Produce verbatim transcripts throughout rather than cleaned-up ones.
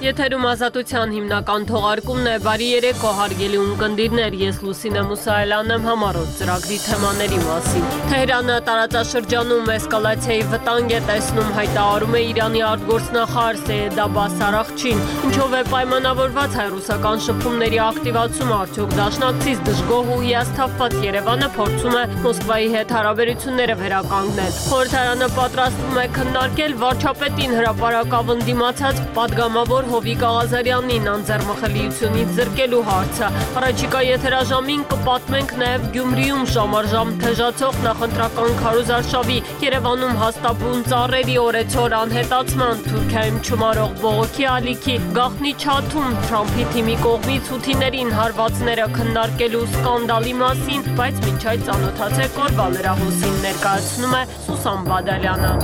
Եթերում ազատության հիմնական թողարկումն է, բարի երեկո հարգելի ունկնդիրներ, ես Լուսինե Մուսայելյանն եմ, համառոտ ծրագրի թեմաների մասին։ Թեհրանը տարածաշրջանում էսկալացիայի վտանգ է տեսնում, հայտարարում է Իրանի արտգործնախարար Սեյեդ Աբբաս Արաղչին, ինչով է պայմանավորված հայ-ռուսական շփումների ակտիվացումը, արդյոք դաշնակցից դժգոհ ու հիասթափված Երևանը փորձում է Մոսկվայի հետ հարաբերությունները վերականգնել։ Խորհրդարանը պատրաստվում է քննարկել վարչապետին հրապարակավն դիմացած պատգամավոր Հովիկ Աղազարյանին անձեռնմխելիությունից զրկելու հարցը։ Առաջիկա եթերաժամին կպատմենք նաև Գյումրիում ժամարժամ թեժացող նախընտրական քարոզարշավի, Երևանում հաստաբուն ծառերի օրեցօր անհետացման, Թուրքիայում չմարող բողոքի ալիքի, գաղտնի Չաթում Թրամփի թիմի կողմից հութիներին հարվածները քննարկելու սկանդալի մասին, բայց մինչ այդ ծանոթացեք օրվա լրահոսին, ներկայացնում է Սուսան Բադալյանը։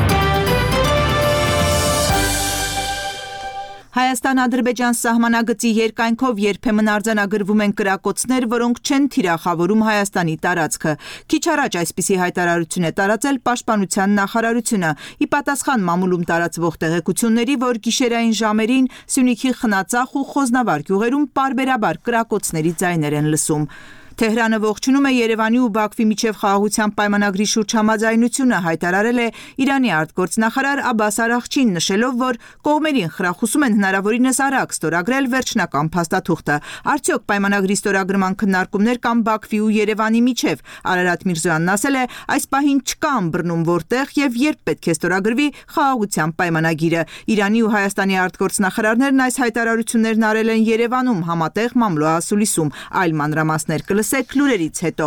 Հայաստան-Ադրբեջան սահմանագծի երկայնքով երբեմն արձանագրվում են կրակոցներ, որոնք չեն թիրախավորում Հայաստանի տարածքը։ Քիչ առաջ այսպիսի հայտարարություն է տարածել Պաշտպանության նախարարությունը՝ ի պատասխան մամուլում տարածվող տեղեկությունների, որ գիշերային ժամերին Սյունիքի Խնածախ ու Խոզնավար գյուղերում պարբերաբար կրակոցների ձայներ են լսում։ Թեհրանը ողջունում է Երևանի ու Բաքվի միջև խաղաղության պայմանագրի շուրջ համաձայնությունը, հայտարարել է Իրանի արտգործնախարար Աբբաս Արաղչին, նշելով, որ կողմերին խրախուսում են հնարավորինս արագ ստորագրել վերջնական փաստաթուղթը։ Արդյոք պայմանագրի ստորագրման քննարկումներ կան Բաքվի ու Երևանի միջև։ Արարատ Միրզոյանն ասել է, այս պահին չկա ըմբռնում որտեղ եւ երբ պետք է ստորագրվի խաղաղության պայմանագիրը։ Իրանի ու Հայաստանի արտգործնախարարներն այս հայտարարություններն արել են Երևանում համատեղ մամլոասուլիսում, այլ մանրամասներ կլսեք լուրերից հետո։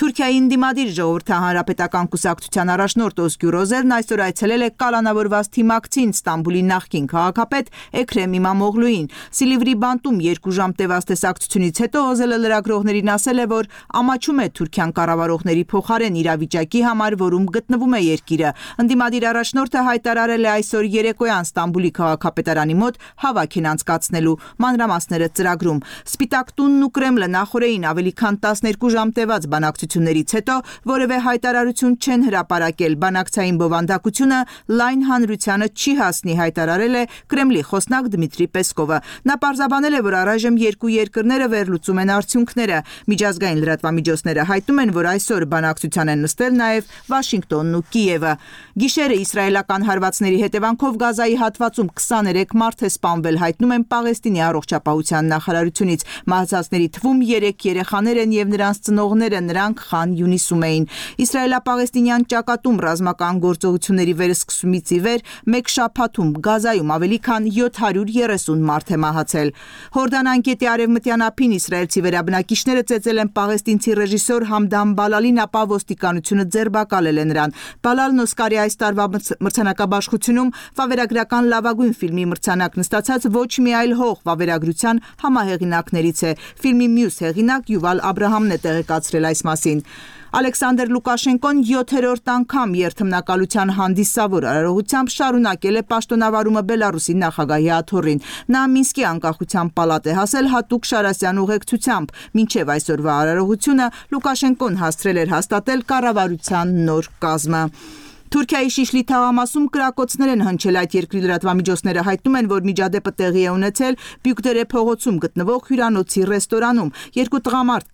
Թուրքիայի ընդդիմադիր Ժողովրդի հանրապետական կուսակցության առաջնորդ Օզգյուր Օզելն այսօր այցելել է կալանավորված թիմակցին Ստամբուլի նախկին քաղաքապետ Էքրեմ Իմամօղլուին։ Սիլիվրի բանտում երկու ժամ տևած տեսակցությունից հետո Օզելը լրագրողներին ասել է, որ ամաչում է Թուրքիան կառավարողների փոխարեն իրավիճակի համար, որում գտնվում է երկիրը։ Ընդդիմադիր առաջնորդը հայտարարել է այսօր երեկոյան Ստամբուլի քաղաքապետարանի մոտ հավաք են անցկացնելու, մանրամասները ծրագրում։ Սպիտակ տունն ու Կրեմլը նախորդին ավելի քան տասներկու ժամ տևած բանակցություններից հետո որևէ հայտարարություն չեն հրապարակել։ Բանակցային բովանդակությունը լայն հանրությանը չի հասնի, հայտարարել է Կրեմլի խոսնակ Դմիտրի Պեսկովը։ Նա պարզաբանել է, որ առայժմ երկու երկրները վերլուծում են արդյունքները։ Միջազգային լրատվամիջոցները հայտնում են, որ այսօր բանակցության են նստել նաև Վաշինգտոնն ու Կիևը։ Գիշերը իսրայելական հարվածների հետևանքով Գազայի հատվածում քսաներեք մարդ է սպանվել, հայտնում են Պաղեստինի առողջապահության նախարարությունից։ Մահացածների թվում երեք երեխաներ են եւ նրանց ծնողները, նրանք Խան Յունիսում էին։ Իսրայելա-պաղեստինյան ճակատում ռազմական գործողությունների վերսկսումից ի վեր մեկ շաբաթում Գազայում ավելի քան յոթ հարյուր երեսուն մարդ է մահացել։ Հորդան անկետի արևմտյան ափին իսրայելցի վերաբնակիչները ծեծել են պաղեստինցի ռեժիսոր Համդան Բալալին, ապա ոստիկանությունը ձերբակալել է նրան։ Բալալն Օսկարի այս տարվա մրցանակաբաշխությունում վավերագրական լավագույն ֆիլմի մրցանակն ստացած ոչ մի այլ հող վավերագրության համահեղինակներից է։ Ֆիլմի մյուս հեղինակ Յուվալ Աբրահամն է տեղեկացրել այս մասին։ Ալեքսանդր Լուկաշենկոն յոթերորդ անգամ երթմնակալության հանդիսավոր արարողությամբ շարունակել է պաշտոնավարումը Բելարուսի նախագահի աթոռին։ Նա Մինսկի անկախության պալատ է հասել հատուկ Շարասյան ուղեկցությամբ։ Մինչև այսօրվա արարողությունը Լուկաշենկոն հասցրել էր հաստատել կառավարության նոր կազմը։ Թուրքիայի Շիշլի թաղամասում կրակոցներ են հնչել, այդ երկրի լրատվամիջոցները հայտնում են, որ միջադեպը տեղի է ունեցել Բյուկդերե փողոցում գտնվող հյուրանոցի ռեստորանում։ Երկու տղամարդ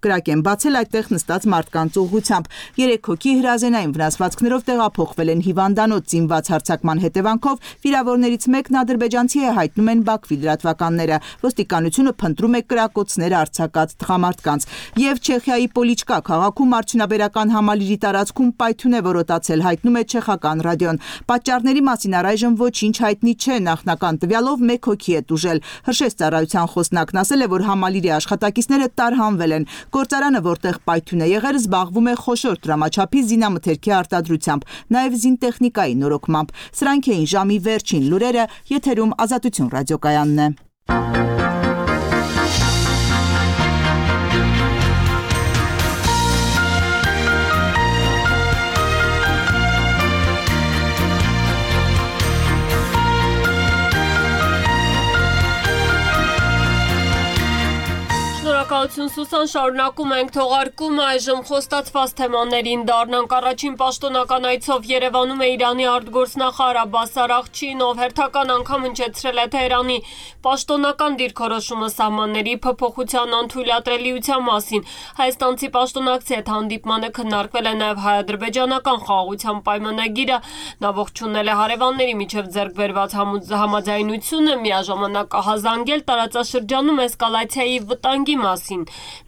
կրակ են բացել այդտեղ նստած մարդկանց ուղղությամբ։ Երեք հոգի հրազենային վնասվածքներով տեղափոխվել են հիվանդանոց։ Զինված հարձակման հետևանքով վիրավորներից մեկն ադրբեջանցի է, հայտնում են Բաքվի լրատվականները։ Ոստիկանությունը փնտրում է կրակոցներ արձակած տղամարդկանց։ Եվ Չեխիայի Պոլիչկա քաղաքում արդյունաբերական համալիրի տարածքում պայթյուն է որոտացել, հայտնում է չեխական ռադիոն։ Պատճառների մասին առայժմ ոչինչ հայտնի չէ, նախնական տվյալով մեկ հոգի է տուժել։ Հրշեջ ծառայության խոսնակն ասել է, որ համալիրի աշխատակիցները տարհանվել են։ Գործարանը, որտեղ պայթյուն է եղել, զբաղվում է խոշոր դրամաչափի զինամթերքի արտադրությամբ, նաև զինտեխնիկայի նորոգմամբ։ Սրանք էին ժամի վերջին լուրերը, եթերում Ազատություն ռադիոկայանն է։ Շնորհակալություն Սուսան, շարունակում ենք թողարկումը, այժմ խոստացված թեմաներին դառնանք։ Առաջին պաշտոնական այցով Երևանում է Իրանի արտգործնախարար Աբբաս Արաղչին, ով հերթական անգամ հնչեցրել է Թեհրանի պաշտոնական դիրքորոշումը սահմանների փոփոխության անթույլատրելիության մասին։ Հայաստանցի պաշտոնակցի հետ հանդիպմանը քննարկվել է նաև հայ-ադրբեջանական խաղաղության պայմանագիրը, նա ողջունել է հարևանների միջև ձեռք բերված համաձայնությունը, միաժամանակ ահազանգել տարածաշրջանում էսկալացիայի վտանգի մասին։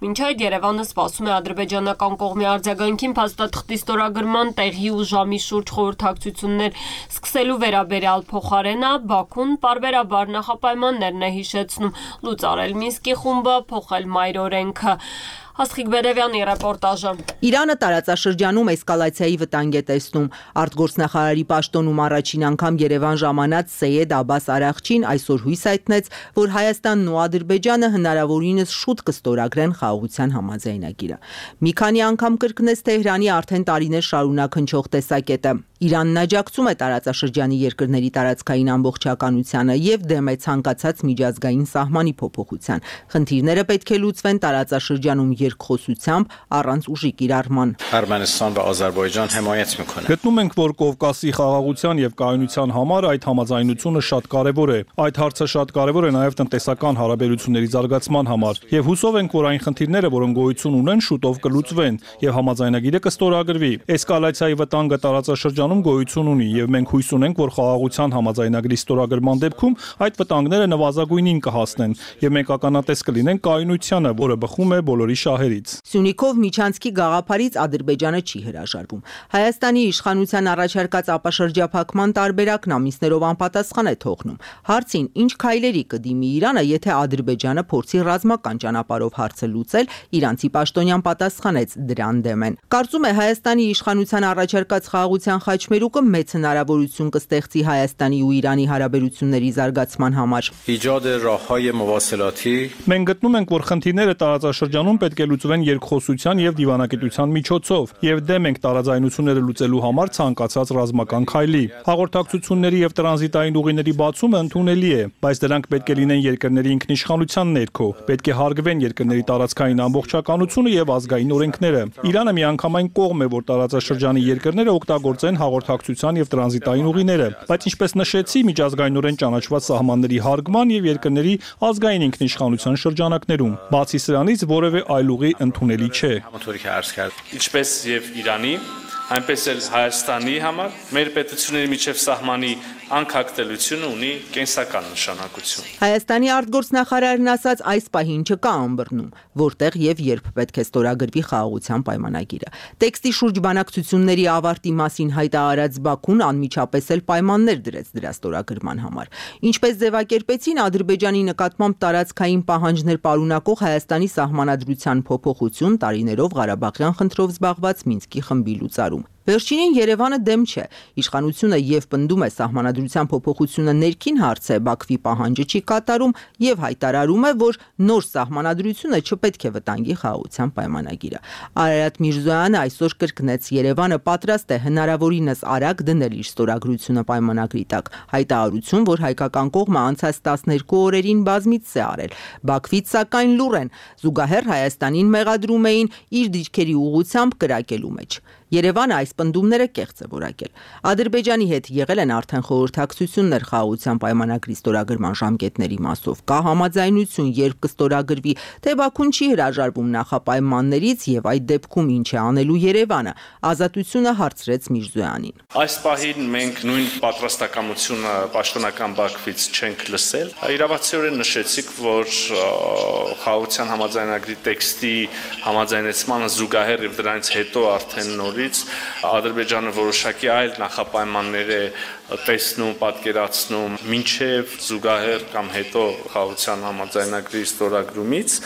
Մինչ այդ Երևանը սպասում է ադրբեջանական կողմի արձագանքին փաստաթղթի ստորագրման տեղի ու ժամի շուրջ խորհրդակցություններ սկսելու վերաբերյալ փոխարենը Բաքուն պարբերաբար նախապայմաններն է հիշեցնում լուծարել Մինսկի խումբը, փոխել մայրօրենքը։ Աստղիկ Բերևյանի ռեպորտաժը։ Իրանը տարածաշրջանում էսկալացիայի վտանգ է տեսնում։ Արտգործնախարարի պաշտոնում առաջին անգամ Երևան ժամանած Սեյեդ Աբբաս Արաղչին այսօր հույս հայտնեց, որ Հայաստանն ու Ադրբեջանը հնարավորինս շուտ կստորագրեն խաղաղության համաձայնագիրը։ Մի քանի անգամ կրկնեց Թեհրանի արդեն տարիներ շարունակ հնչող տեսակետը։ Իրանն աջակցում է տարածաշրջանի երկրների տարածքային ամբողջականությանը եւ դեմ է ցանկացած միջազգային սահմանի փոփոխության։ Խնդիրները պետք է լուծվեն տարածաշրջանում երկխոսությամբ, առանց ուժի կիրառման։ Արմենստան và Ադրբեջան հմայեց մեկոնը։ Գտնում ենք, որ Կովկասի խաղաղության եւ կայունության համար այդ համաձայնությունը շատ կարեւոր է։ Այդ հարցը շատ կարեւոր է նաեւ տնտեսական հարաբերությունների զարգացման համար։ Եվ հուսով ենք, որ այն խնդիրները, որոնք գոյություն ունեն, շուտով կլուծվեն եւ համաձայնագիրը կստորագրվի։ Էսկալացիայի վտանգը տարածաշրջանում գոյություն ունի եւ մենք հույս ունենք, որ խաղաղության համաձայնագրի ստորագրման դեպքում այդ վտանգները նվազագույնին կհասնեն եւ մենք ականատես կլինենք կայունությանը, որը բխում է բոլորի շահերից։ Սյունիքով միջանցքի գաղափարից Ադրբեջանը չի հրաժարվում։ Հայաստանի իշխանության առաջարկած ապաշրջափակման տարբերակն ամիսներով անպատասխան է թողնում։ Հարցին ինչ քայլերի կդիմի Իրանը, եթե Ադրբեջանը փորձի ռազմական ճանապարհով հարցը լուծել, իրանցի պաշտոնյան պատասխանեց դրան դեմ են։ Կարծում է Հայաստանի իշխանության առաջարկած խաղաղության խաչմերուկը մեծ հնարավորություն կստեղծի Հայաստանի ու Իրանի հարաբերությունների զարգացման համար։ Իջադը ռահայ մովասելաթի Մենք գտնում ենք, որ խնդիրները տարածաշրջանում պետք է լուծվեն երկխոսության եւ դիվանագիտության միջոցով եւ դեմ ենք տարաձայնությունները լուծելու համար ցանկացած ռազմական քայլի։ Հաղորդակցությունների եւ տրանզիտային ուղիների բացումը ընդունելի է, բայց դրանք պետք է լինեն երկրների ինքնիշխանության ներքո, պետք է հարգվեն երկրների տարածքային ամբողջականությունը եւ ազգային օրենքները։ Իրանը միանգամայն կողմ է, որ տարածաշրջանի երկրները օգտագործեն հաղորդակցության եւ տրանզիտային ուղիները, բայց ինչպես նշեցի, միջազգայինորեն ճանաչված սահմանների հարգման եւ երկրների ազգային ինքնիշխանության շրջանակներում։ Բացի սրանից որևէ այլ ուղի ընդունելի չէ։ Ինչպես եւ Իրանի, այնպես էլ Հայաստանի համար մեր պետությունների միջև սահմանի անկախտելությունը ունի կենսական նշանակություն։ Հայաստանի արտգործնախարարն ասաց այս պահին չկա ըմբռնում, որտեղ եւ երբ պետք է ստորագրվի խաղաղության պայմանագիրը։ Տեքստի շուրջ բանակցությունների ավարտի մասին հայտարարած Բաքուն անմիջապես էլ պայմաններ դրեց դրա ստորագրման համար։ Ինչպես ձևակերպեցին Ադրբեջանի նկատմամբ տարածքային պահանջներ պարունակող Հայաստանի սահմանադրության փոփոխություն տարիներով Ղարաբաղյան խնդրով զբաղված Մինսկի խմբի լուծարում։ Վերջինին Երևանը դեմ չէ։ Իշխանությունը եւ պնդում է սահմանադրության փոփոխությունը ներքին հարց է, Բաքվի պահանջը չի կատարում եւ հայտարարում է, որ նոր սահմանադրությունը չպետք է վտանգի խաղաղության պայմանագիրը։ Արարատ Միրզոյանը այսօր կրկնեց Երևանը պատրաստ է հնարավորինս արագ դնել իր ստորագրությունը պայմանագրի տակ։ Հայտարարություն, որ հայկական կողմը անցած տասներկու օրերին բազմիցս է արել։ Բաքվից սակայն լուռ են, զուգահեռ Հայաստանին մեղադրում էին իր դիրքերի ուղղությամբ կրակելու մեջ։ Երևանը այս պնդումները կեղծ է որակել։ Ադրբեջանի հետ եղել են արդեն խորհրդակցություններ խաղաղության պայմանագրի ստորագրման ժամկետների մասով։ Կա համաձայնություն, երբ կստորագրվի, թե Բաքուն չի հրաժարվում նախապայմաններից եւ այդ դեպքում ինչ է անելու Երևանը։ Ազատությունը հարցրեց Միրզոյանին։ Այս պահին մենք նույն պատրաստակամությունը պաշտոնական Բաքվից չենք լսել։ Իրավացիորեն նշեցիք, որ խաղաղության համաձայնագրի տեքստի համաձայնեցմանը զուգահեռ եւ դրանից հետո արդեն նոր Ադրբեջանը որոշակի այլ նախապայմաններ է տեսնում, պատկերացնում մինչև զուգահեռ կամ հետո խաղաղության համաձայնագրի ստորագրումից,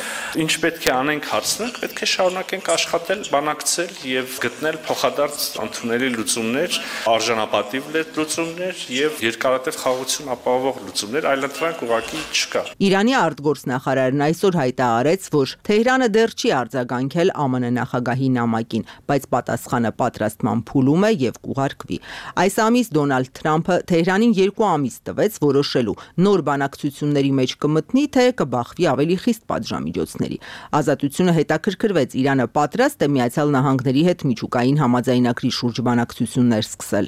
ինչ պետք է անենք հարցնենք, պետք է շարունակենք աշխատել, բանակցել եւ գտնել փոխադարձ ընդունելի լուծումներ, արժանապատիվ լուծումներ եւ երկարատև խաղաղություն ապահովող լուծումներ, այլընտրանք ուղղակի չկա։ Իրանի արտգործնախարարն այսօր հայտարարեց, որ Թեհրանը դեռ չի արձագանքել ԱՄՆ նախագահի նամակին, բայց պատասխանը պատրաստման փուլում է եւ կուղարկվի։ Այս ամիս Դոնալդ Թրամփը Թեհրանին երկու ամիս տվեց որոշելու նոր բանակցությունների մեջ կմտնի, թե կբախվի ավելի խիստ պատժամիջոցների։ Ազատությունը հետաքրքրվեց Իրանը պատրաստ է Միացյալ Նահանգների հետ միջուկային համաձայնագրի շուրջ բանակցություններ սկսել։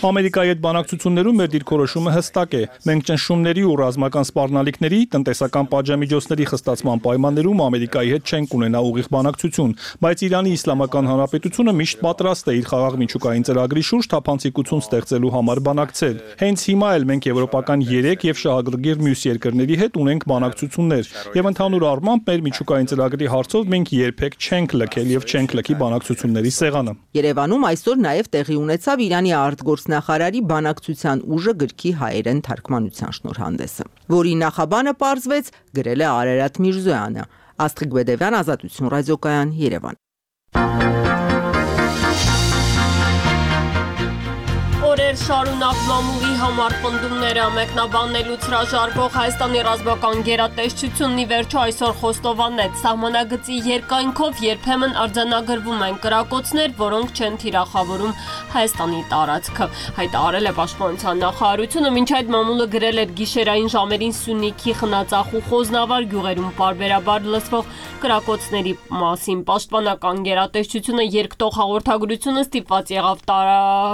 Ամերիկայի հետ բանակցություններում մեր դիրքորոշումը հստակ է։ Մենք ճնշումների ու ռազմական սպառնալիքների, տնտեսական պատժամիջոցների խստացման պայմաններում Ամերիկայի հետ չենք ունենա ուղիղ բանակցություն, բայց Իրանի Իսլամական Հանրապետությունը միշտ պատրաստ է իր խաղաղ միջուկային ծրագրի շուրջ թափանցիկություն ստեղծելու համար բանակցել։ Հենց հիմա էլ մենք եվրոպական երեք եւ շահագրգիռ մյուս երկրների հետ ունենք բանակցություններ, եւ ընդհանուր առմամբ մեր միջուկային ծրագրի հարցով մենք երբեք չենք լքել եւ չենք լքի բանակցությունների սեղանը։ Երևանում այսօր նաև տեղի ունեցավ Իրանի արտգործնախարարի բանակցության ուժը գրքի հայերեն թարգմանության շնորհանդեսը, որի նախաբանը պարզվեց գրել է Արարատ Միրզոյանը։ Աստղիկ Բեդևյան, Ազատություն ռադիոկայան, Երևան։ Օրեր շարունակ մամուլի համար պնդումները մեկնաբանելուց հրաժարվող Հայաստանի ռազմական գերատեսչությունն ի վերջո այսօր խոստովանեց, սահմանագծի երկայնքով երբեմն արձանագրվում են կրակոցներ, որոնք չեն թիրախավորում Հայաստանի տարածքը։ Հայտարարել է Պաշտպանության նախարարությունը, մինչ այդ մամուլը գրել էր գիշերային ժամերին Սյունիքի Խնածախ ու Խոզնավար գյուղերում պարբերաբար լսվող կրակոցների մասին։ Պաշտպանական գերատեսչությունը երկտող հաղորդագրությունը ստիպված եղավ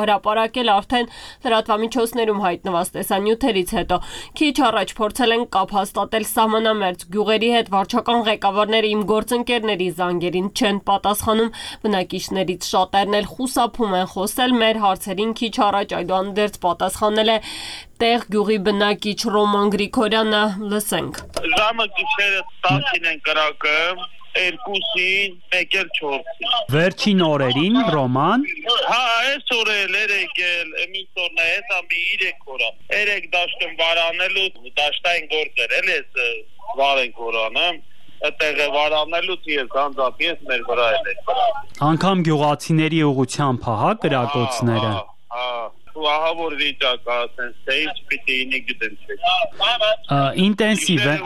հրապարակել արդեն լրատվամիջոցներում հայտնված տեսանյութերից հետո։ Քիչ առաջ փորձել են կապ հաստատել սահմանամերձ գյուղերի հետ, վարչական ղեկավարները իմ գործընկերների զանգերին չեն պատասխանում, բնակիչներից շատերն էլ խուսափում են խոսել մեր հարցերին։ Քիչ առաջ այդուհանդերձ պատասխանել է տեղ գյուղի բնակիչ Ռոման Գրիգորյանը, լսենք։ Ժամը գիշերը տասին են կրակը, երկուսին, մեկ էլ չորսին։ Վերջին օրերին, Ռոման։ Հա, այս օրել երեք էլ, մինչ օրն է, հեսա մի իրեք օրա։ Երեք դաշտում վարանելու, դաշտային գործեր, էլ ես վարենք օրանը, այդտեղ է վարանելուց ես անձամբ ես մեր վրա էլ է։ Անգամ գյուղացիների ուղղությամբ հա կրակոցները։ Հա, ու ահավոր վիճակ ասեն, թե ինչ պիտի ինի գտեն չէ։ Ինտենսիվ է։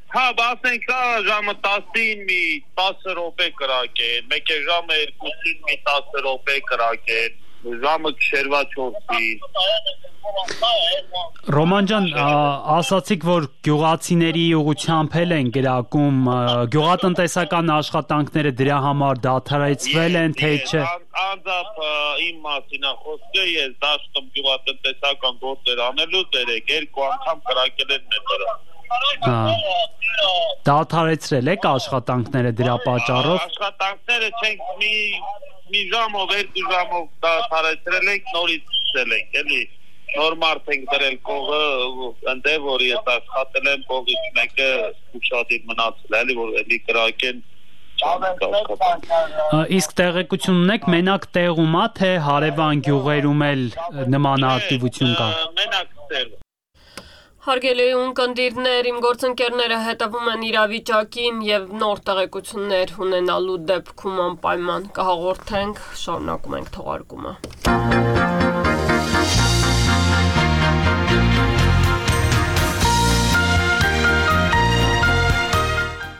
Հա, բասենք կա ժամը տասին մի տասը րոպե կրակեն, մեկ է ժամը երկուսին մի տասը րոպե կրակեն, ժամը քշերվա չորսին։ Ռոման ջան, ասացիք, որ գյուղացիների ուղղությամբ էլ են գրակում, գյուղատնտեսական աշխատանքները դրա համար դադարեցվել են, թե չէ։ Անձամբ իմ մասին է խոսքը, ես դաշտում գյուղատնտեսական գործեր անելուց երեք երկու անգամ կրակել են մեր վրա։ Դադարեցրել եք աշխատանքները դրա պատճառով։ Աշխատանքները չենք մի մի ժամով, երկու ժամով դադարեցրել ենք, նորից սկսել ենք, էլի նոր մարդ ենք դրել կողը, ընդ է որ ես աշխատել եմ կողից մեկը ուշադիր մնացել, էլի որ էլի կրակեն։ Իսկ տեղեկություն ունեք, մենակ տեղում է, թե հարևան գյուղերում էլ նման ակտիվություն կա։ Մենակ տեղ։ Հարգելի ունկնդիրներ, իմ գործընկերները հետևում են իրավիճակին եւ նոր տեղեկություններ ունենալու դեպքում անպայման կհաղորդենք, շարունակում ենք թողարկումը։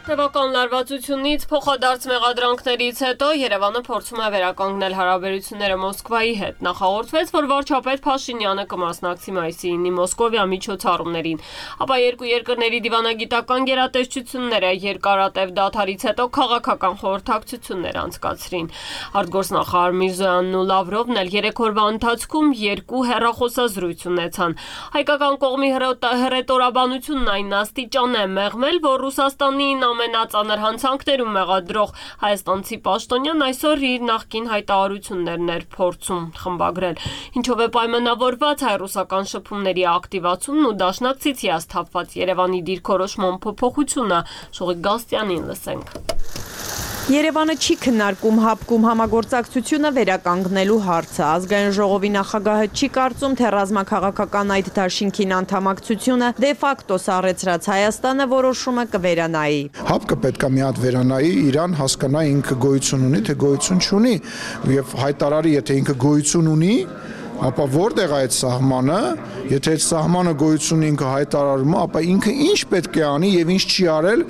Տևական լարվածությունից փոխադարձ մեղադրանքներից հետո Երևանը փորձում է վերականգնել հարաբերությունները Մոսկվայի հետ։ Նախահորդվեց, որ վարչապետ Փաշինյանը կմասնակցի մայիսի ինը Մոսկովիա միջոցառումներին, ապա երկու երկրների դիվանագիտական գերատեսչությունները երկարատև դադարից հետո քաղաքական խորհրդակցություններ անցկացրին։ Արտգործնախարար Միրզոյանն ու Լավրովն էլ երեք օրվա ընթացքում երկու հեռախոսազրույց ունեցան։ Հայկական կողմի հռետորաբանությունն այն աստիճան է մեղմել, որ Ռուսաստանին ամենածանր հանցանքներում մեղադրող հայաստանցի պաշտոնյան այսօր իր նախկին հայտարարություններն էր փորձում խմբագրել, ինչով է պայմանավորված հայ-ռուսական շփումների ակտիվացումն ու դաշնակցից հիասթափված Երևանի դիրքորոշման փոփոխությունը։ Շողիկ Գաստյանին լսենք։ Երևանը չի քննարկում հապկում համագործակցությունը վերականգնելու հարցը։ Ազգային ժողովի նախագահը չի կարծում, թե ռազմաքաղաքական այդ դաշինքին անդամակցությունը դե ֆակտո սառեցրած Հայաստանը որոշումը կվերանայի։ Հապկը պետք է մի հատ վերանայի, Իրան հասկանա ինքը գոյություն ունի, թե գոյություն չունի, եւ հայտարարի, եթե ինքը գոյություն ունի, ապա որտեղ է այդ սահմանը, եթե այդ սահմանը գոյություն ինքը հայտարարում է, ապա ինքը ինչ պետք է անի եւ ինչ չի արել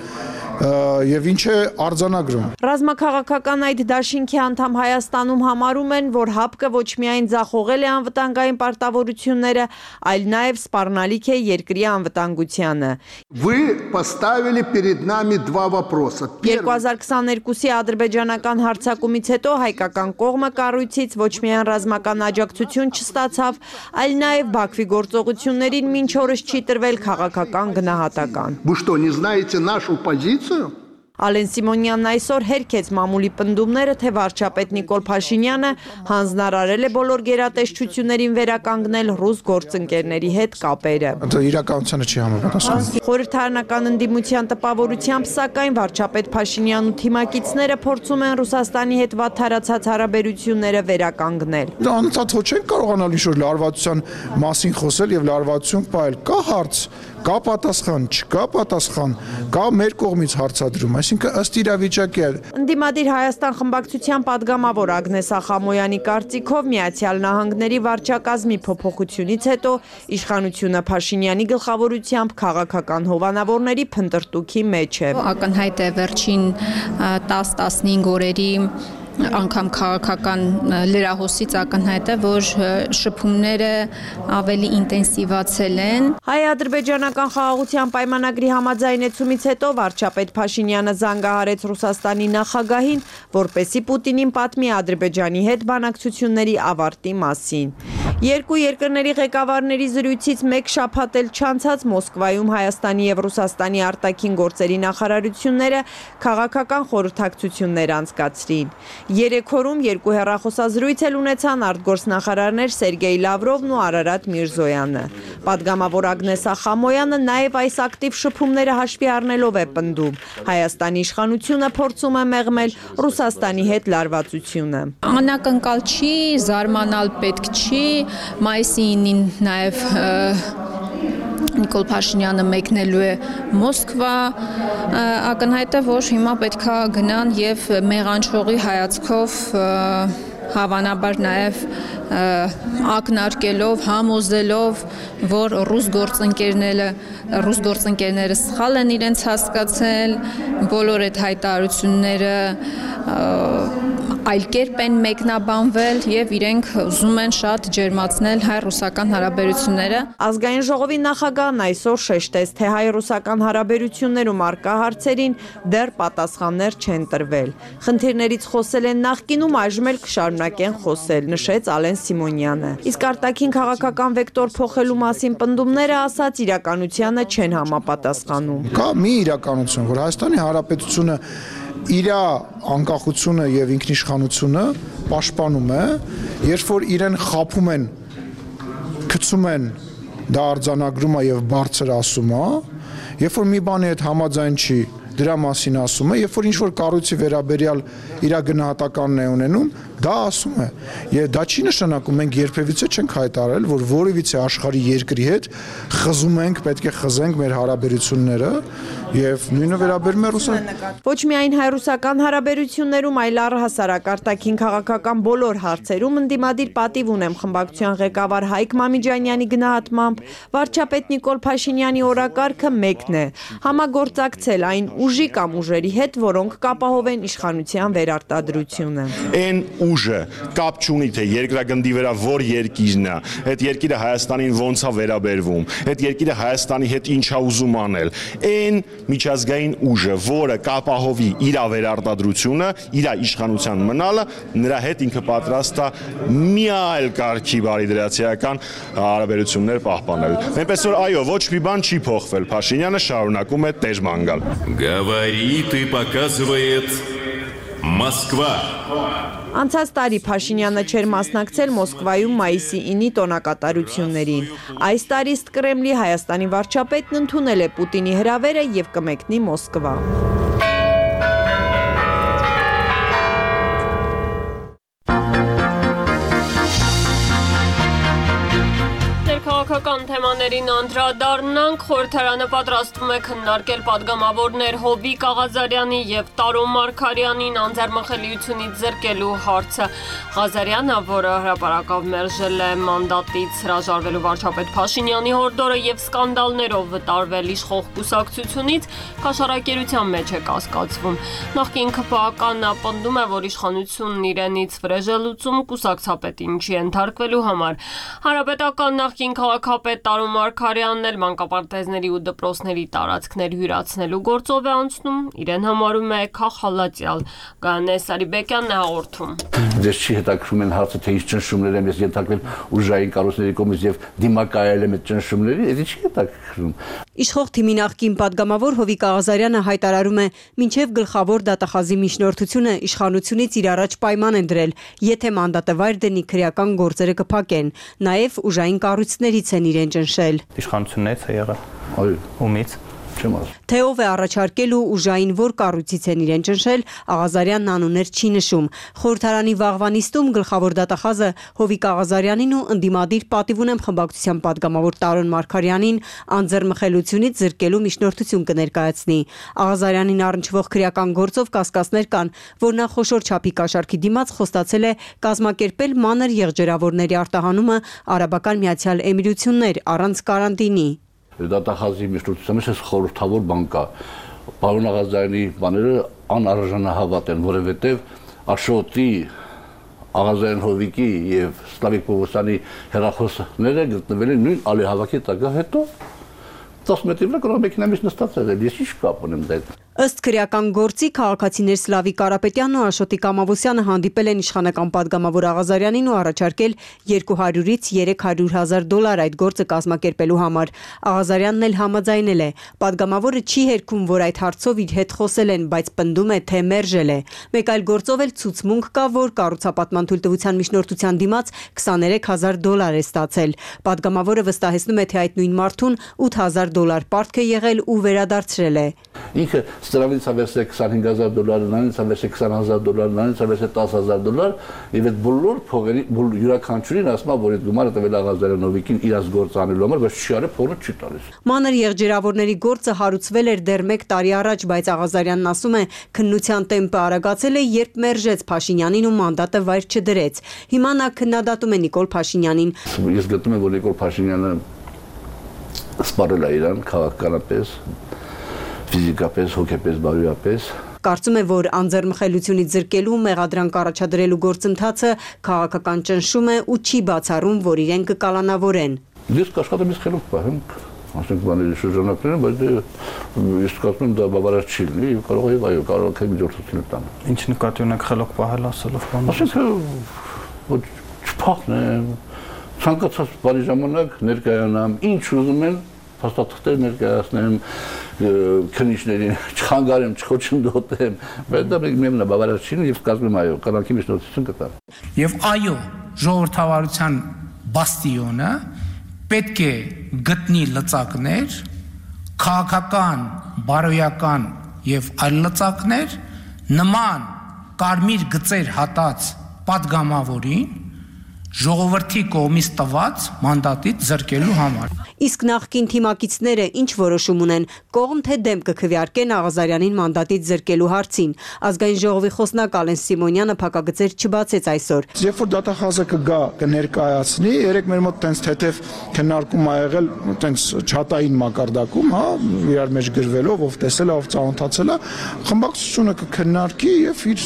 եւ ինչ է արձանագրում։ Ռազմաքաղաքական այդ դաշինքի անդամ Հայաստանում համարում են, որ ՀԱՊԿ-ը ոչ միայն ձախողել է անվտանգային պարտավորությունները, այլ նաև սպառնալիք է երկրի անվտանգությանը։ Вы поставили перед нами два вопроса. երկու հազար քսաներկուսի ադրբեջանական հարձակումից հետո հայկական կողմը կառույցից ոչ միայն ռազմական աջակցություն չստացավ, այլ նաև Բաքվի գործողություններին մինչ օրս չի տրվել քաղաքական գնահատական։ Вы что, не знаете нашу позицию? Ալեն Սիմոնյանն այսօր հերքեց մամուլի պնդումները, թե վարչապետ Նիկոլ Փաշինյանը հանձնարարել է բոլոր գերատեսչություններին վերականգնել ռուս գործընկերների հետ կապերը։ Դա իրականությանը չի համապատասխանում։ Խորհրդարանական ընդդիմության տպավորությամբ, սակայն վարչապետ Փաշինյանն ու թիմակիցները փորձում են Ռուսաստանի հետ վատթարացած հարաբերությունները վերականգնել։ Դա անընդհատ ոչ չեն կարողանալ ինչ-որ լարվածության մասին խոսել եւ լարվածություն պահել։ Կա հարց, կա պատասխան, չկա պատասխան, կա մեր կողմից հարցադրում, այսինքն ըստ իրավիճակի է։ Ընդդիմադիր Հայաստան խմբակցության падգամավոր Ագնես Ախամոյանի կարծիքով Միացյալ Նահանգների վարչակազմի փոփոխությունից հետո իշխանությունը Փաշինյանի գլխավորությամբ քաղաքական հովանավորների փնտրտուքի մեջ է։ Ակնհայտ է վերջին տասը տասնհինգ օրերի անգամ քաղաքական լրահոսից ակնհայտ է, որ շփումները ավելի ինտենսիվացել են։ Հայ-ադրբեջանական խաղաղության պայմանագրի համաձայնեցումից հետո վարչապետ Փաշինյանը զանգահարեց Ռուսաստանի նախագահին, որպեսզի Պուտինին պատմի Ադրբեջանի հետ բանակցությունների ավարտի մասին։ Երկու երկրների ղեկավարների զրույցից մեկ շաբաթ էլ չանցած Մոսկվայում Հայաստանի եւ Ռուսաստանի արտաքին գործերի նախարարությունները քաղաքական խորհրդակցություններ անցկացրին։ Երեք օրում երկու հեռախոսազրույց էլ ունեցան արտգործնախարարներ Սերգեյ Լավրովն ու Արարատ Միրզոյանը։ Պատգամավոր Ագնես Ախամոյանը նաև այս ակտիվ շփումները հաշվի առնելով է պնդում։ Հայաստանի իշխանությունը փորձում է մեղմել Ռուսաստանի հետ լարվածությունը։ Անակնկալ չի, զարմանալ պետք չի, մայիսի ինին նաև Նիկոլ Փաշինյանը մեկնելու է Մոսկվա, ակնհայտ է, որ հիմա պետք է գնան եւ մեղանչողի հայացքով հավանաբար նաև ակնարկելով, համոզելով, որ ռուս գործընկերները, ռուս գործընկերները սխալ են իրենց հասկացել, բոլոր այդ հայտարարությունները այլ կերպ են մեկնաբանվել եւ իրենք ուզում են շատ ջերմացնել հայ-ռուսական հարաբերությունները։ Ազգային ժողովի նախագահն այսօր շեշտեց, թե հայ-ռուսական հարաբերություններում առկա հարցերին դեռ պատասխաններ չեն տրվել։ Խնդիրներից խոսել են նախկինում, այժմ էլ կշարունակեն խոսել, նշեց Ալեն Սիմոնյանը։ Իսկ արտաքին քաղաքական վեկտոր փոխելու մասին պնդումները, ասաց, իրականությանը չեն համապատասխանում։ Կա մի իրականություն, որ Հայաստանի Հանրապետությունը իր անկախությունը եւ ինքնիշխանությունը պաշտպանում է, երբ որ իրեն խափում են, գցում են, դա արձանագրում է եւ բարձր ասում է, երբ որ մի բանի հետ համաձայն չի, դրա մասին ասում է, երբ որ ինչ-որ կառույցի վերաբերյալ իր գնահատականն է ունենում, դա ասում է։ Եվ դա չի նշանակում մենք երբևիցե չենք հայտարարել, որ որևիցե աշխարհի երկրի հետ խզում ենք, պետք է խզենք մեր հարաբերությունները եւ նույնը վերաբերում է Ռուսաստանին։ Ոչ միայն հայ-ռուսական հարաբերություններում, այլ առհասարակ արտաքին քաղաքական բոլոր հարցերում ընդդիմադիր պատիվ ունեմ խմբակցության ղեկավար Հայկ Մամիջանյանի գնահատմամբ, վարչապետ Նիկոլ Փաշինյանի օրակարգը մեկն է՝ համագործակցել այն ուժի կամ ուժերի հետ, որոնք կապահովեն իշխանության վերարտադրությունը։ Այն ուժը կապ չունի, թե երկրագնդի վրա որ երկիրն է, այդ երկիրը Հայաստանին ոնց է վերաբերվում, այդ երկիրը Հայաստանի հետ ինչ է ուզում անել։ Այն միջազգային ուժը, որը կապահովի իր վերարտադրությունը, իր իշխանության մնալը, նրա հետ ինքը պատրաստ է մի այլ կարգի բարիդրացիական հարաբերություններ պահպանել։ Այնպես որ այո, ոչ մի բան չի փոխվել, Փաշինյանը շարունակում է տերման գալ։ Говорит и показывает Москва։ Անցած տարի Փաշինյանը չէր մասնակցել Մոսկվայում մայիսի ինի տոնակատարություններին։ Այս տարի ըստ Կրեմլի Հայաստանի վարչապետն ընդունել է Պուտինի հրավերը եւ կմեկնի Մոսկվա։ Քաղաքական թեմաներին անդրադառնանք, խորհրդարանը պատրաստվում է քննարկել պատգամավորներ Հովիկ Ղազարյանի եւ Տարոն Մարգարյանին անձեռմխելիությունից զրկելու հարցը։ Ղազարյանը, որը հրապարակավ մերժել է մանդատից հրաժարվելու վարչապետ Փաշինյանի հորդորը եւ սկանդալներով վտարվել իշխող կուսակցությունից, քաշարակերության մեջ է կասկածվում։ Նախկին ԿՓԱԿ-ն պնդում է, որ իշխանությունն իրենից վրեժելուծում կուսակցապետին չի ենթարկվելու համար։ Հանրապետական նախկին քաղաքապետ Տարոն Մարգարյանն էլ մանկապարտեզների ու դպրոցների տարածքներ հյուրացնելու գործով է անցնում, իրեն համարում է քաղաքալատյալ։ Գայանե Սարիբեկյանն է հաղորդում։ Դες չի հետաքրում են հարցը, թե ինչ ճնշումներ եմ ես ենթարկվել ուժային կառույցների կողմից եւ դիմակայել եմ այդ ճնշումների, դա չի հետաքրում։ Իշխող թիմի նախկին падգամավոր Հովիկ Ղազարյանը հայտարարում է, մինչև գլխավոր դատախազի միջնորդությունը իշխանությունից իր առաջ պայման են դրել, եթե մանդատը վայր դնի քրեական գործերը կփակեն, նաև ուժային կառույցներից են իրեն ճնշել։ Իշխանություններից է եղել։ Այո, ումից։ Թե ով է առաջարկել ու ուժային որ կառույցից են իրեն ճնշել, Ղազարյանն անուններ չի նշում։ Խորհրդարանի վաղվա նիստում գլխավոր դատախազը Հովիկ Ղազարյանին ու ընդդիմադիր պատիվ ունեմ խմբակցության падգամավոր Տարոն Մարգարյանին անձեռմխելիությունից զրկելու միջնորդություն կներկայացնի։ Ղազարյանին առնչվող քրեական գործով կասկածներ կան, որ նա խոշոր չափի կաշառքի դիմաց խոստացել է կազմակերպել մանր եղջերավորների արտահանումը Արաբական Միացյալ Էմիրություններ առանց կարանտինի։ Դատախազի միջնորդության մեջ խորհրդավոր բան կա։ Պարոն Ղազարյանի բաները անարժանահավատ են, որովհետև Աշոտի, Ղազարյան Հովիկի եւ Սլավիկ Պողոսյանի հեռախոսները գտնվել են նույն ալիհավաքի տակ, հետո տասը մետրի վրա կարող մեքենա մեջ նստած եղել, ես ինչ կապ ունեմ դա։ Ըստ քրեական գործի քաղաքացիներ Սլավիկ Կարապետյանն ու Աշոտի Կամավոսյանը հանդիպել են իշխանական падգամավոր Ղազարյանին ու առաջարկել երկու հարյուրից երեք հարյուր հազար դոլար այդ գործը կազմակերպելու համար։ Ղազարյանն էլ համաձայնել է։ Падգամավորը չի հերքում, որ այդ հարցով իր հետ խոսել են, բայց պնդում է, թե մերժել է։ Մեկ այլ գործով էլ ցուցմունք կա, որ կառուցապատման թույլտվության միջնորդության դիմաց քսաներեք հազար դոլար է ստացել։ Падգամավորը վստահեցնում է, թե այդ նույն մարդուն ութ հազար դոլար պարտք է եղել ու վերադարձրել է։ Ինքը Ստրավից ավերսե քսանհինգ հազար դոլար, նանից ավերսե քսան հազար դոլար, նանից ավերսե տասը հազար դոլար, եւ այդ բոլոր փողերի յուրաքանչյուրին ասում է, որ այդ գումարը տվել է Ղազարյան Հովիկին իրաց գործ անելու համար, բայց չի արել, փողը չի տալիս։ Մանր եղջերավորների գործը հարուցվել էր դեռ մեկ տարի առաջ, բայց Ղազարյանն ասում է, քննության տեմպը արագացել է, երբ մերժեց Փաշինյանին ու մանդատը վայր չդրեց։ Հիմա նա քննադատում է Նիկոլ Փաշինյանին։ Ես գտնում եմ, որ Նիկոլ Փաշինյանը սպառել է իրան քաղաքականապես, ֆիզիկապես, հոգեպես, բարոյապես։ Կարծում է, որ անձեռմխելիությունից զրկելու մեղադրանք առաջադրելու գործընթացը քաղաքական ճնշում է ու չի բացառում, որ իրեն կկալանավորեն։ Ես կաշխատեմ ես խելոք պահեմ, ասենք բաների շրջանակներում, բայց ես կարծում եմ դա բավարար չի լինի, կարող է այո, կարող է միջոցառություն տան։ Ինչ նկատի ունեք խելոք պահել ասելով բանը։ Ասենք որ չփախնեմ, ցանկացած բանի ժամանակ ներկայանամ, ինչ ուզում են փաստաթղթեր ներկայացնեմ, քննիչներին չխանգարեմ, չխոչընդոտեմ, բայց դա միևնույն է բավարար չի եւ կազմում այո, կանանքի միջնորդություն կտա։ Եվ այո, ժողովրդավարության բաստիոնը պետք է գտնի լծակներ, քաղաքական, բարոյական եւ այլ լծակներ նման կարմիր գծեր հատած падգամավորին ժողովրդի կողմից տված մանդատից զրկելու համար։ Իսկ նախկին թիմակիցները ինչ որոշում ունեն, կողմ թե դեմ կքվեարկեն Ղազարյանին մանդատից զրկելու հարցին։ Ազգային ժողովի խոսնակ Ալեն Սիմոնյանը փակագծեր չբացեց այսօր։ Երբ որ դատախազը կգա կներկայացնի, երեք մեր մոտ տենց թեթև քննարկում ա եղել, տենց չաթային մակարդակում, հա, իրար մեջ գրվելով, ով տեսել է, ով ծանոթացել է, խմբակցությունը կքննարկի եւ իր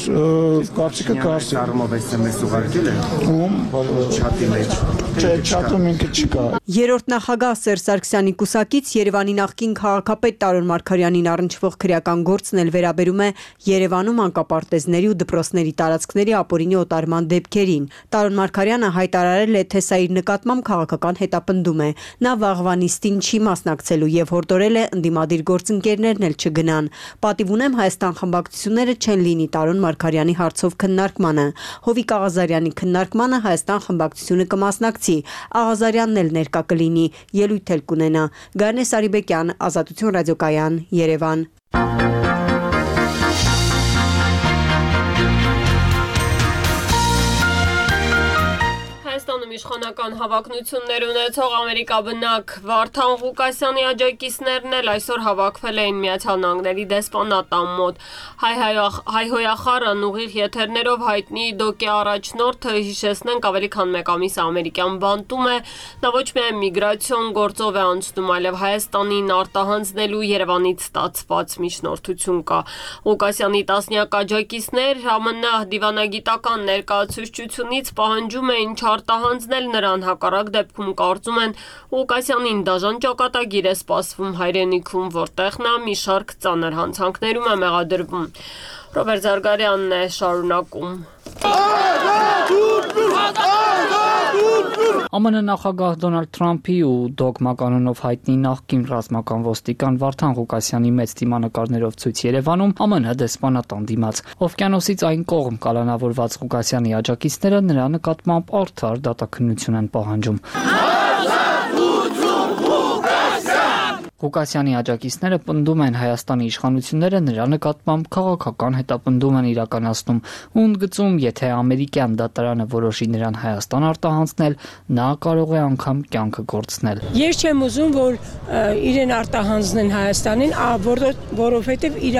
կարծիքը կհասցնի։ Առումով էս էս ուղարկել է։ Ում չաթի մեջ։ Չէ, չաթում ինքը չկա։ Երրորդ նախագահ Սերժ Սարգսյանի կուսակից Երևանի նախկին քաղաքապետ Տարոն Մարգարյանին առնչվող քրեական գործն էլ վերաբերում է Երևանում անկապարտեզների ու դպրոցների տարածքների ապօրինի օտարման դեպքերին։ Տարոն Մարգարյանը հայտարարել է, թե սա իր նկատմամբ քաղաքական հետապնդում է։ Նա վաղվա նիստին չի մասնակցելու եւ հորդորել է ընդդիմադիր գործընկերներն էլ չգնան։ Պատիվ ունեմ Հայաստան խմբակցությունները չեն լինի Տարոն Մարգարյանի հարցով քննարկմանը։ Հովիկ Ղազարյանի քննարկմանը Հայաստան խմբակցությունը կմասնակցի։ Ղազարյանն էլ ներկա կլինի, ելույթ էլ կունենա։ Գայանե Սարիբեկյան, Ազատություն ռադիոկայան, Երևան։ Հայաստանում իշխանական հավակնություններ ունեցող ամերիկաբնակ Վարդան Ղուկասյանի աջակիցներն էլ այսօր հավաքվել էին Միացյալ Նահանգների դեսպանատան մոտ։ Հայհոյախառն ուղիղ եթերներով հայտնի ԴՕԿ-ի առաջնորդը, հիշեցնենք, ավելի քան մեկ ամիս ամերիկյան բանտում է, նա ոչ միայն միգրացիոն գործով է անցնում, այլև Հայաստանին արտահանձնելու Երևանից ստացված միջնորդություն կա։ Ղուկասյանի տասնյակ աջակիցներ ԱՄՆ դիվանագիտական ներկայացուցչությունից պահանջում էին չարտահանձնել նրան, հակառակ դեպքում կարծում են Ղուկասյանին դաժան ճակատագիր է սպասվում հայրենիքում, որտեղ նա մի շարք ծանր հանցանքներում է մեղադրվում։ Ռոբերտ Զարգարյանն է շարունակում։ ԱՄՆ նախագահ Դոնալդ Թրամփի ու դոգմա կանոնով հայտնի նախկին ռազմական ոստիկան Վարդան Ղուկասյանի մեծ դիմանկարներով ցույց Երևանում ԱՄՆ դեսպանատան դիմաց։ Օվկիանոսից այն կողմ կալանավորված Ղուկասյանի աջակիցները նրա նկատմամբ արդար դատաքննություն են պահանջում։ Ղուկասյանի աջակիցները պնդում են Հայաստանի իշխանությունները նրա նկատմամբ քաղաքական հետապնդում են իրականացնում ու ընդգծում, եթե ամերիկյան դատարանը որոշի նրան Հայաստան արտահանձնել, նա կարող է անգամ կյանքը կորցնել։ Ես չեմ ուզում, որ իրեն արտահանձնեն Հայաստանին, որովհետև իր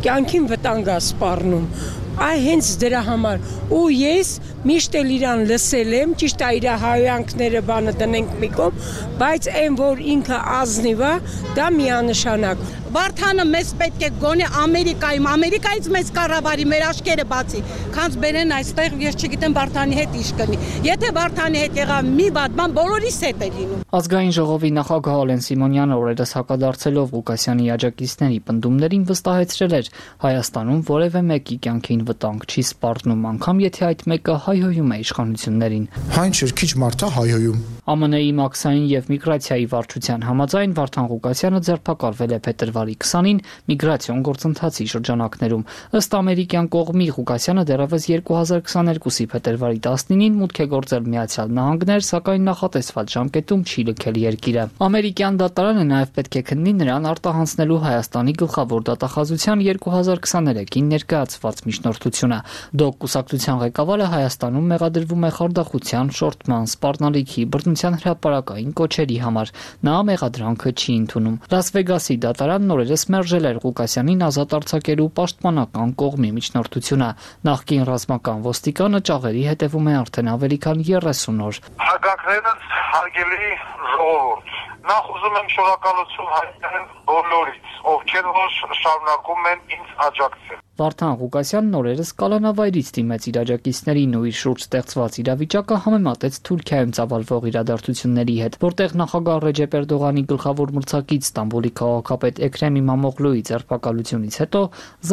կյանքին վտանգ է սպառնում։ Այ հենց դրա համար ու ես միշտ էլ իրան լսել եմ, ճիշտ է իր հայանքները բանը դնենք մի կողմ, բայց այն որ ինքը ազնիվ է, դա միանշանակ։ Վարդանը մեզ պետք է գոնե Ամերիկայում, Ամերիկայից մեզ կառավարի, մեր աշկերը բացի, քանց բերեն այստեղ, ես չգիտեմ Վարդանի հետ ինչ կնի։ Եթե Վարդանի հետ եղավ մի բան, բան բոլորիս հետ է լինում։ Ազգային ժողովի նախագահ Ալեն Սիմոնյանը օրերս հակադարձելով Ղուկասյանի աջակիցների պնդումներին վստահեցրել էր, Հայաստանում որևէ մեկի կյանքին վտանգ չի սպառնում, անգամ եթե այդ մեկը հայհոյում է իշխանություններին։ Հայն չէ, քիչ մարդ է հայհոյում։ ԱՄՆ-ի մաքսային եւ միգրացիայի վարչության համաձայն Վարդան Ղուկասյանը ձերբակալվել է փետրվարի քսանին միգրացիոն գործընթացի շրջանակներում։ Ըստ ամերիկյան կողմի Ղուկասյանը դեռևս երկու հազար քսաներկուսի փետրվարի տասնինին մուտք է գործել Միացյալ Նահանգներ, սակայն նախատեսված ժամկետում չի լքել երկիրը։ Ամերիկյան դատարանը նաև պետք է քննի նրան արտահանձնելու Հայաստանի գլխավոր դատախազության երկու հազար քսաներեքին ներկայացված միջնորդությունը։ ԴՕԿ կուսակցության ղեկավարը Հայաստանում մեղադրվում է խարդախության, շորթման, սպառնալիքի, բռնության հրապարակային կոչերի համար։ Նա մեղադրանքը չի ընդունում։ Լաս Վեգասի դատարանն օրերս մերժել էր Ղուկասյանին ազատ արձակելու պաշտպանական կողմի միջնորդությունը։ Նախկին ռազմական ոստիկանը ճաղերի հետևում է արդեն ավելի քան երեսուն օր։ Հարգանքներս հարգելի ժողովուրդ, նախ ուզում եմ շնորհակալություն հայտնել բոլորից, ովքեր որ շարունակում են ինձ աջակցել։ Վարդան Ղուկասյանն օրերս կալանավայրից դիմեց իր աջակիցներին ու իր շուրջ ստեղծված իրավիճակը համեմատեց Թուրքիայում ծավալվող իրադարձությունների հետ, որտեղ նախագահ Ռեջեփ Էրդողանի գլխավոր մրցակից Ստամբուլի քաղաքապետ Էքրեմ Իմամօղլուի ձերբակալությունից հետո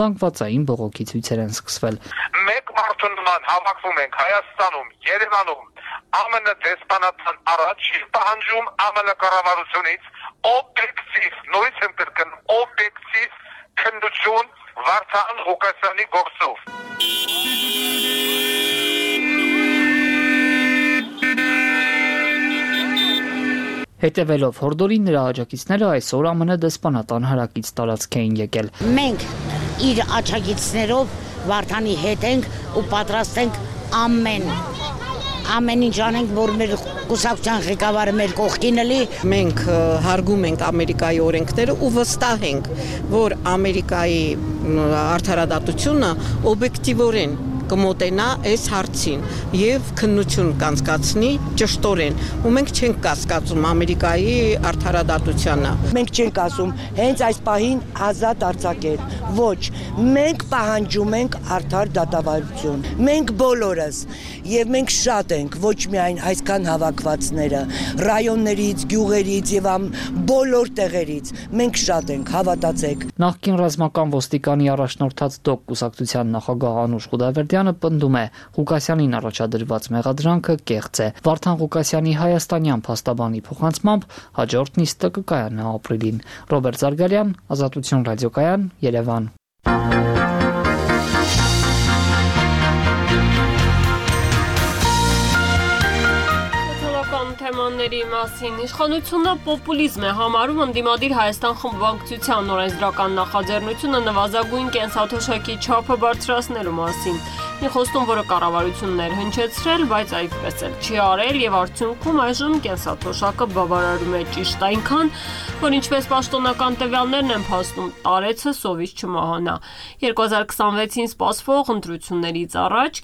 զանգվածային բողոքի ցույցեր են սկսվել։ Մեկ մարդու նման հավաքվում ենք Հայաստանում, Երևանում, ԱՄՆ դեսպանատան առաջ պահանջում ԱՄՆ կառավարությունից օբյեկտիվ, նույնիսկ եմ կրկնում, օբյեկտիվ քննություն Վարդան Ղուկասյանի գործով։ Հետևելով հորդորին նրա աջակիցները այսօր ԱՄՆ դեսպանատան հարակից տարածք էին եկել։ Մենք իր աջակիցներով Վարդանի հետ ենք ու պատրաստ ենք ամեն ամեն ինչ անենք, որ մեր կուսակցության ղեկավարը մեր կողքին լի։ Մենք հարգում ենք Ամերիկայի օրենքները ու վստահ ենք, որ Ամերիկայի արդարադատությունը օբյեկտիվորեն կմոտենա այս հարցին եւ քննություն կանցկացնի ճշտորեն ու մենք չենք կասկածում Ամերիկայի արդարադատությանը։ Մենք չենք ասում հենց այս պահին ազատ արձակել, ոչ, մենք պահանջում ենք արդար դատավարություն։ Մենք բոլորս եւ մենք շատ ենք, ոչ միայն այսքան հավաքվածները, ռայոններից, գյուղերից եւ բոլոր տեղերից, մենք շատ ենք, հավատացեք։ Նախկին ռազմական ոստիկանի առաջնորդած ԴՕԿ կուսակցության նախագահ Անուշ Ղուդավերդյանը պնդում է, Ղուկասյանին առաջադրված մեղադրանքը կեղծ է։ Վարդան Ղուկասյանի հայաստանյան փաստաբանի փոխանցմամբ հաջորդ նիստը կկայանա ապրիլին։ Ռոբերտ Զարգարյան, Ազատություն ռադիոկայան, Երևան։ Թեմաների մասին իշխանությունը պոպուլիզմ է համարում ընդդիմադիր Հայաստան խմբակցության օրենսդրական նախաձեռնությունը նվազագույն կենսաթոշակի չափը բարձրացնելու մասին։ Մի խոստում, որը կառավարությունն էր հնչեցրել, բայց այդպես էլ չի արել եւ արդյունքում այժմ կենսաթոշակը բավարարում է ճիշտ այնքան, որ ինչպես պաշտոնական տվյալներն են փաստում, տարեցը սովից չմահանա։ երկու հազար քսանվեցին սպասվող ընտրություններից առաջ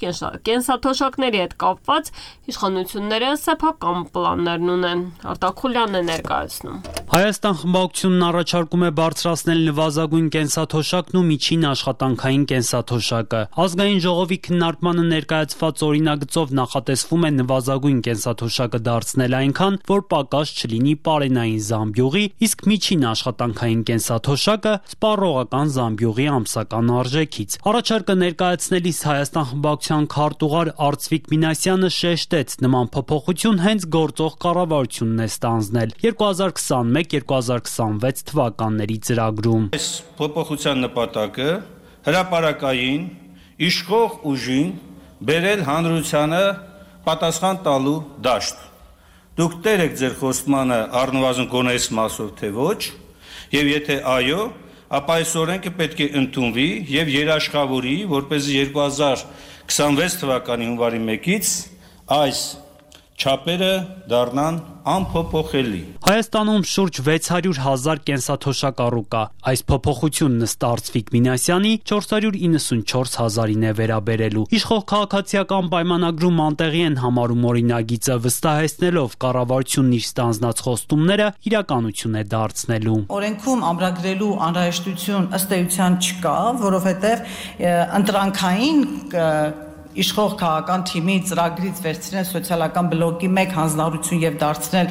կենսաթոշակների հետ կապված իշխանությունները սեփական պլաններն ունեն։ Արտակ Խուլյանն է ներկայացնում։ Հայաստան խմբակցությունն առաջարկում է բարձրացնել նվազագույն կենսաթոշակն ու միջին աշխատանքային կենսաթոշակը։ Ազգային ժողովի քննարկմանը ներկայացված օրինագծով նախատեսվում է նվազագույն կենսաթոշակը դարձնել այնքան, որ պակաս չլինի պարենային զամբյուղի, իսկ միջին աշխատանքային կենսաթոշակը սպառողական զամբյուղի ամսական արժեքից։ Առաջարկը ներկայացնելիս Հայաստան խմբակցության քարտուղար Արծվիկ Մինասյանը շեշտեց, նման փոփոխություն հենց գործող կառավարությունն է ստանձնել երկու հազար քսանմեկ երկու հազար քսանվեց թվականների ծրագրում։ Այս փոփոխության նպատակը հրապարակային իշխող ուժին բերել հանրությանը պատասխան տալու դաշտ։ Դուք տեր եք ձեր խոստմանը առնվազն գոնե այս մասով թե ոչ, եւ եթե այո, ապա այս օրենքը պետք է ընդունվի եւ երաշխավորի, որպեսզի երկու հազար քսանվեց թվականի հունվարի մեկից այս չափերը դառնան անփոփոխելի։ Հայաստանում շուրջ վեց հարյուր հազար կենսաթոշակ առուկա։ Այս փոփոխությունն ըստ Արծվիկ Մինասյանի չորս հարյուր իննսունչորս հազարին է վերաբերելու։ Իշխող քաղաքացիական պայմանագրում անտեղի են համարում օրինագիծը, վստահեցնելով կառավարությունն իր ստանձնած խոստումները իրականություն է դարձնելու։ Օրենքում ամրագրելու անհրաժեշտություն ըստ էության չկա, որովհետև ընտրանքային իշխող քաղաքական թիմի ծրագրից վերցնել սոցիալական բլոկի մեկ հանձնառություն եւ դարձնել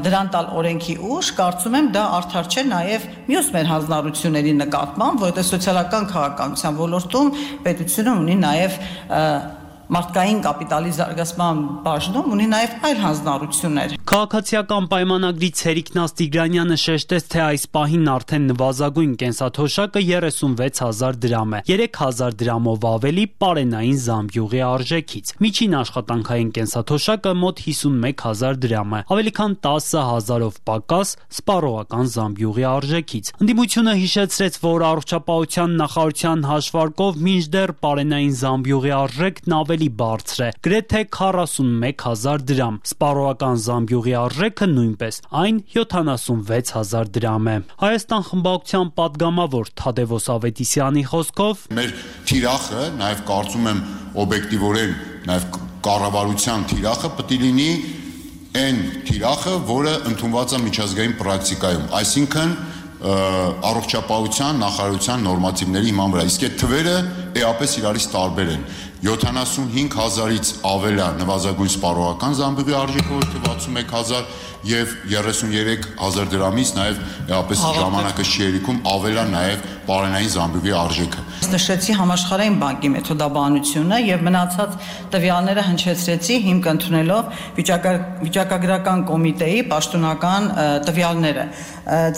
դրան տալ օրենքի ուժ, կարծում եմ դա արդար չէ նաեւ մյուս մեր հանձնառությունների նկատմամբ, որովհետեւ սոցիալական քաղաքականության ոլորտում պետությունը ունի նաեւ մարդկային կապիտալի զարգացման բաժնում ունի նաև այլ հանձնառություններ։ Քաղաքացիական պայմանագրից Հերիկնաց Տիգրանյանը շեշտեց, թե այս պահին արդեն նվազագույն կենսաթոշակը երեսունվեց հազար դրամ է, երեք հազար դրամով ավելի պարենային զամբյուղի արժեքից։ Միջին աշխատանքային կենսաթոշակը մոտ հիսունմեկ հազար դրամ է, ավելի քան տասը հազարով պակաս սպառողական զամբյուղի արժեքից։ Ընդդիմությունը հիշեցրեց, որ առողջապահության նախարարության հաշվարկով մինչդեռ պարենային զամբյուղի արժեքն ավելի բարձր է, գրեթե քառասունմեկ հազար դրամ։ Սպառողական զամբյուղի արժեքը նույնպես, այն յոթանասունվեց հազար դրամ է։ Հայաստան խմբակցության падգամավոր Թադևոս Ավետիսյանի խոսքով մեր թիրախը, նաև կարծում եմ օբյեկտիվորեն, նաև կառավարության թիրախը պետք է լինի այն թիրախը, որը ընդունված է միջազգային պրակտիկայում, այսինքն առողջապահության նախարարության նորմատիվների հիման վրա։ Իսկ այդ թվերը էապես իրարից տարբեր են։ յոթանասունհինգ հազարից ավել է նվազագույն սպառողական զամբյուղի արժեքը, որ թե վաթսունմեկ հազար եւ երեսուներեք հազար դրամից նաեւ էապես ժամանակը չի երիքում ավել է նաեւ պարենային զամբյուղի արժեքը։ Նշեցի համաշխարհային բանկի մեթոդաբանությունը եւ մնացած տվյալները հնչեցրեցի հիմք ընդունելով վիճակագրական կոմիտեի պաշտոնական տվյալները։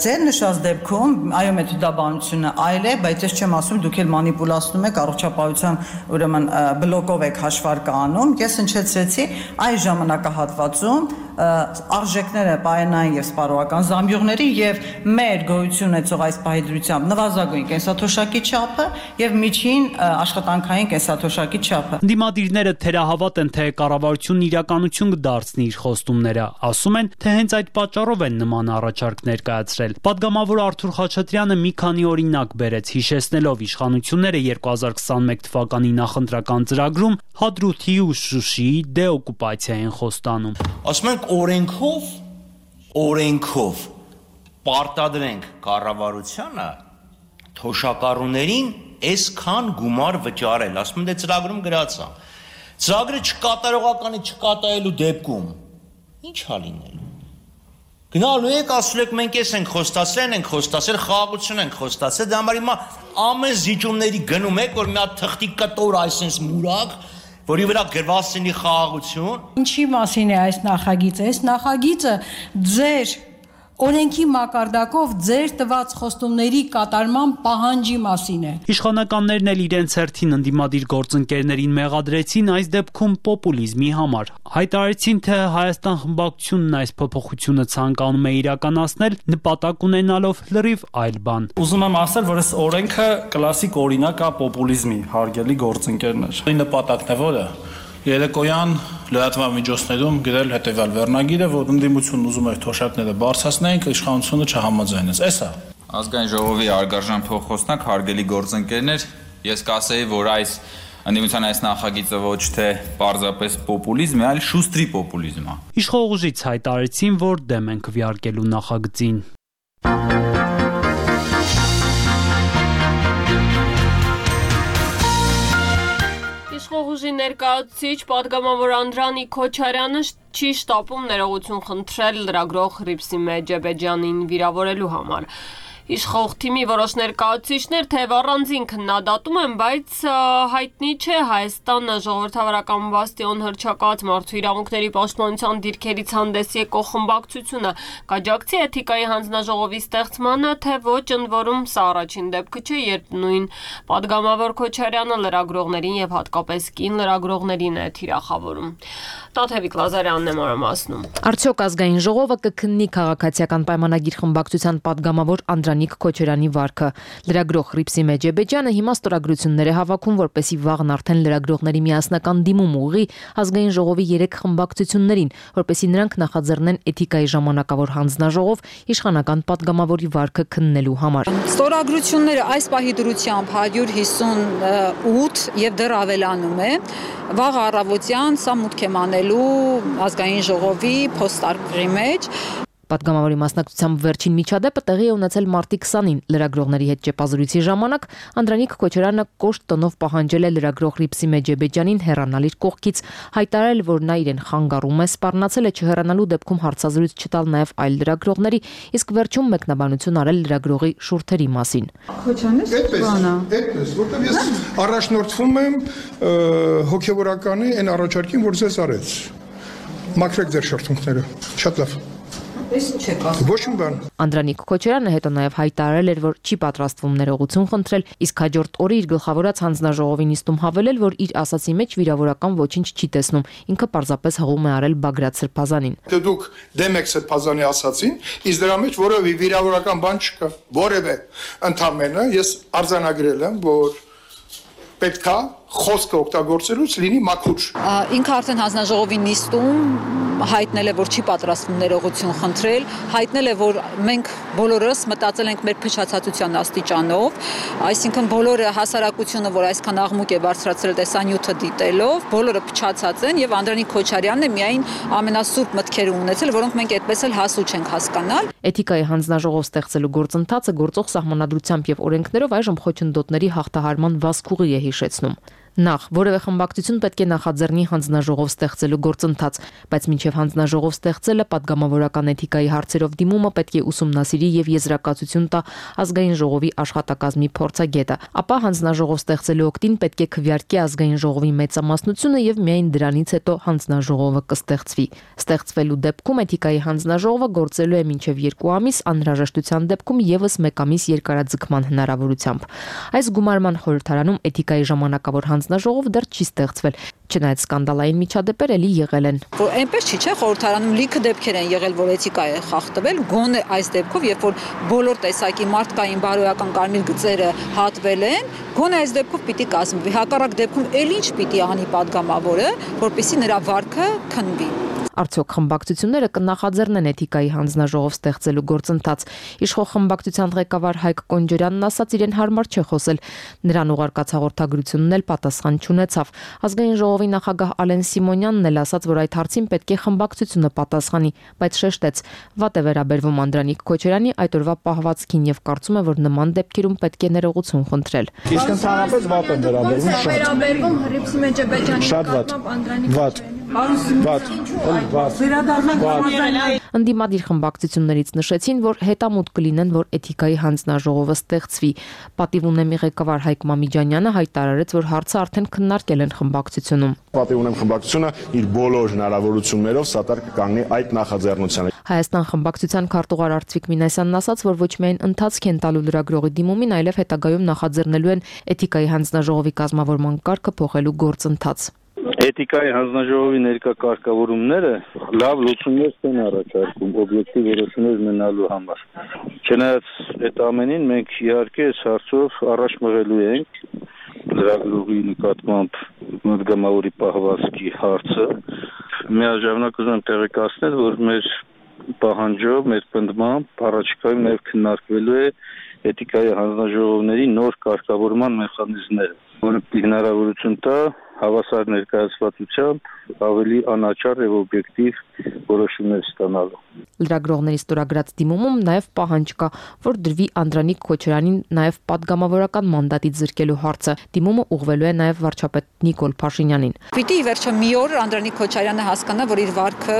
Ձեր նշած դեպքում այո մեթոդաբանությունը այլ է, բայց ես չեմ ասում դուք էլ մանիպուլացնում եք առողջապահության ուրեմն բլոկով եք հաշվարկը անում։ Ես հնչեցրեցի այս ժամանակահատվածում արժեքները պարենային եւ սպառողական զամբյուղների եւ մեր գոյություն ունեցող այս պահեդրությամբ նվազագույն կենսաթոշակի չափը եւ միջին աշխատանքային կենսաթոշակի չափը։ Դիմադիրները թերահավատ են, թե կառավարությունն իրականություն կդարձնի իր խոստումները, ասում են, թե հենց այդ պատճառով են նման առաջարկ ներկայացրել։ Պատգամավոր Արթուր Խաչատրյանը մի քանի օրինակ բերեց, հիշեցնելով իշխանությունները երկու հազար քսանմեկ թվականի նախընտրական ծրագրում Հադրութի ու Շուշիի դեօկուպացիա են խոստանում։ Ասում ենք օրենքով օրենքով պարտադրենք կառավարությանը թոշակառուներին այսքան գումար վճարել, ասում են դե ծրագրում գրած է։ Ծրագրը չկատարողականի չկատարելու դեպքում ի՞նչ է լինելու։ Գնալու եք, ասում եք մենք էս ենք խոստացել, ենք խոստացել, խաղաղություն ենք խոստացել, դա համար հիմա ամեն զիջումների գնում եք, որ մի հատ թղթի կտոր այսպես մուրակ, որի վրա գրված լինի խաղաղություն։ Ինչի մասին է այս նախագիծը։ Այս նախագիծը ձեր օրենքի մակարդակով ձեր տված խոստումների կատարման պահանջի մասին է։ Իշխանականներն էլ իրենց հերթին ընդդիմադիր գործընկերներին մեղադրեցին այս դեպքում պոպուլիզմի համար։ Հայտարարեցին, թե Հայաստան խմբակցությունն այս փոփոխությունը ցանկանում է իրականացնել, նպատակ ունենալով լրիվ այլ բան։ Ուզում եմ ասել, որ այս օրենքը կլասիկ օրինակ է պոպուլիզմի, հարգելի գործընկերներ։ Այն նպատակն է որը երեկոյան լրատվամիջոցներում գրել հետևյալ վերնագիրը, որ ընդդիմությունն ուզում էր թոշակները բարձրացնենք, իշխանությունը չհամաձայնեց։ Էսա։ Ազգային ժողովի արգարժան փոխոսնակ, հարգելի գործընկերներ, ես կասեի, որ այս ընդդիմության այս նախագիծը ոչ թե պարզապես պոպուլիզմ է, այլ շուստրի պոպուլիզմ է։ Իշխող ուժից հայտարարեցին, որ դեմ են քվեարկելու նախագծին։ Իշխողուժի ներկայացուցիչ պատգամավոր Անդրանիկ Քոչարյանը չի շտապում ներողություն խնդրել լրագրող Հռիփսի Մեջեբեջյանին վիրավորելու համար։ Իշխող թիմի որոշ ներկայացուցիչներ թեև առանձին քննադատում են, բայց հայտնի չէ Հայաստանը ժողովրդավարական բաստիոն հռչակած մարդու իրավունքների պաշտպանության դիրքերից հանդես եկող խմբակցությունը կաջակցի էթիկայի հանձնաժողովի ստեղծմանը, թե ոչ, ընդ որում սա առաջին դեպքը չէ, երբ նույն պատգամավոր Քոչարյանը լրագրողներին եւ հատկապես կին լրագրողներին է թիրախավորում։ Տաթևիկ Լազարյանն է մանրամասնում։ Արդյոք ազգային ժողովը կքննի քաղաքացիական պայմանագիր խմբակցության պատգամավոր Անդրանիկ Քոչարյանի վարքը։ Լրագրող Հռիփսի Մեջեբեջյանը հիմա ստորագրություններ է հավաքում, որպեսզի վաղն արդեն լրագրողների միասնական դիմում ուղղի ազգային ժողովի երեք խմբակցություններին, որպեսզի նրանք նախաձեռնեն էթիկայի ժամանակավոր հանձնաժողով իշխանական պատգամավորի վարքը քննելու համար։ Ստորագրությունները այս պահի դրությամբ հարյուր հիսունութ եւ դեռ ավելանում է։ Վաղ առավոտյան սա մուտք է մանելու ազգային ժողովի փոստարկղի մեջ։ Պատգամավորի մասնակցությամբ վերջին միջադեպը տեղի է ունեցել մարտի քսանին։ Լրագրողների հետ ճեպազրույցի ժամանակ Անդրանիկ Քոչարյանը կոշտ տոնով պահանջել է լրագրող Հռիփսի Մեջեբեջյանին հեռանալ իր կողքից, հայտարարել, որ նա իրեն խանգարում է, սպառնացել է չհեռանալու դեպքում հարցազրույց չտալ նաև այլ լրագրողների, իսկ վերջում մեկնաբանություն արել լրագրողի շուրթերի մասին։ Քոչարյանը բանա։ Այդպես, որտեղ ես առաջնորդվում եմ հոգևորականի այն առաջարկին, որ ձեզ արեց։ Մաքրեք ձեր շրթունքները։ Շատ լավ։ Ես չեք ասում։ Ոչ մի բան։ Անդրանիկ Քոչարյանը հետո նաև հայտարարել էր, որ չի պատրաստվում ներողություն խնդրել, իսկ հաջորդ օրը իր գլխավորած հանձնաժողովի նիստում հավելել, որ իր ասացի մեջ վիրավորական ոչինչ չի տեսնում, ինքը պարզապես հղում է արել Բագրատ Սրբազանին։ Դե դուք դեմ եք Սրբազանի ասացին, իսկ դրա մեջ որևէ վիրավորական բան չկա, որևէ։ Ընդամենը ես արձանագրել եմ, որ պետքա խոսքը օգտագործելուց լինի մաքուր։ Ինքը արդեն հանձնաժողովի նիստում հայտնել է, որ չի պատրաստվում ներողություն խնդրել, հայտնել է, որ մենք բոլորս մտածել ենք մեր փչացածության աստիճանով, այսինքն բոլորը հասարակությունը, որ այսքան աղմուկ է բարձրացրել տեսանյութը դիտելով, բոլորը փչացած են եւ Անդրանիկ Քոչարյանն է միայն ամենասուրբ մտքերը ունեցել, որոնք մենք այդպես էլ հասու չենք հասկանալ։ Էթիկայի հանձնաժողով ստեղծելու գործընթացը գործող սահմանադրությամբ եւ օրենքներով այժմ խոչընդոտների հաղթահարման վազքուղի է հիշեցնում։ Նախ որևէ խմբակցություն պետք է նախաձեռնի հանձնաժողով ստեղծելու գործընթաց, բայց մինչև հանձնաժողով ստեղծելը պատգամավորական էթիկայի հարցերով դիմումը պետք է ուսումնասիրի եւ եզրակացություն տա ազգային ժողովի աշխատակազմի փորձագետը, ապա հանձնաժողով ստեղծելու օգտին պետք է քվեարկի ազգային ժողովի մեծամասնությունը եւ միայն դրանից հետո հանձնաժողովը կստեղծվի։ Ստեղծվելու դեպքում էթիկայի հանձնաժողովը գործելու է մինչև երկու ամիս, անհրաժեշտության դեպքում եւս մեկ ամիս երկարաձգման հնարավորությամբ։ Այս գումարման խորհրդարանում էթիկայի ժամանակավոր հանձնաժողով դեռ չի ստեղծվել, չնայած սկանդալային միջադեպեր էլի եղել են։ Որ այնպես չի, չէ, խորհրդարանում լիքը դեպքեր են եղել, որ էթիկա է խախտվել, գոնե այս դեպքով, երբ որ բոլոր տեսակի մարդկային բարոյական կարմիր գծերը հատվել են, գոնե այս դեպքով պիտի կազմվի։ Հակառակ դեպքում էլ ինչ պիտի անի պատգամավորը, որպեսզի նրա վարքը քննվի։ Արդյոք խմբակցությունները կնախաձեռնեն էթիկայի հանձնաժողով ստեղծելու գործընթաց։ Իշխող խմբակցության ղեկավար Հայկ Կոնջորյանն ասաց, իրեն հարմար չէ խոսել։ Նրան ուղարկած հաղորդագրությունն էլ պատասխան չունեցավ։ Ազգային ժողովի նախագահ Ալեն Սիմոնյանն էլ ասաց, որ այդ հարցին պետք է խմբակցությունը պատասխանի, բայց շեշտեց, վատ է վերաբերվում Անդրանիկ Քոչարյանի այդ օրվա պահվածքին եւ կարծում է, որ նման դեպքերում պետք է ներողություն խնդրել։ Իսկ ընդհանրապես վատ են վերաբերվում, շատ։ Վերաբերվում Հռիփսի Մեջեբեջյանի նկատմամբ Անդրանիկ Վատ, վատ, Ընդդիմադիր խմբակցություններից նշեցին, որ հետամուտ կլինեն, որ էթիկայի հանձնաժողովը ստեղծվի։ Պատիվ ունեմի ղեկավար Հայկ Մամիջանյանը հայտարարեց, որ հարցը արդեն քննարկել են խմբակցությունում։ Պատիվ ունեմ խմբակցությունը իր բոլոր հնարավորություններով սատար կկանգնի այդ նախաձեռնությանը։ Հայաստան խմբակցության քարտուղար Արծվիկ Մինասյանն ասաց, որ ոչ միայն ընթացք են տալու լրագրողի դիմումին, այլև հետագայում նախաձեռնելու են էթիկայի հանձնաժողովի կազմավորման կարգը փոխելու գործընթաց։ Էթիկայի հանձնաժողովի ներկա կարգավորումները լավ լուծումներ չեն առաջարկում օբյեկտիվ որոշումներ ունենալու համար։ Չնայած այդ ամենին մենք իհարկե այս հարցով առաջ մղելու ենք լրագրողի նկատմամբ մտգամավորի պահվածքի հարցը։ Միաժամանակ ուզում եմ տեղեկացնել, որ մեր պահանջով, մեր պնդմամբ առաջիկայում նաև քննարկվելու է էթիկայի հանձնաժողովների նոր կարգավորման մեխանիզմները, որը հնարավորություն տա հավասար ներկայացվածությամբ ավելի անաչառ եւ օբյեկտիվ որոշումներ ստանալու։ Լրագրողների ստորագրած դիմումում նաև պահանջ կա, որ դրվի Անդրանիկ Քոչարյանին նաև падգամավորական մանդատից զրկելու հարցը։ Դիմումը ուղղվելու է նաև վարչապետ Նիկոլ Փաշինյանին։ Պիտի վերջը մի օր Անդրանիկ Քոչարյանը հասկանա, որ իր վարքը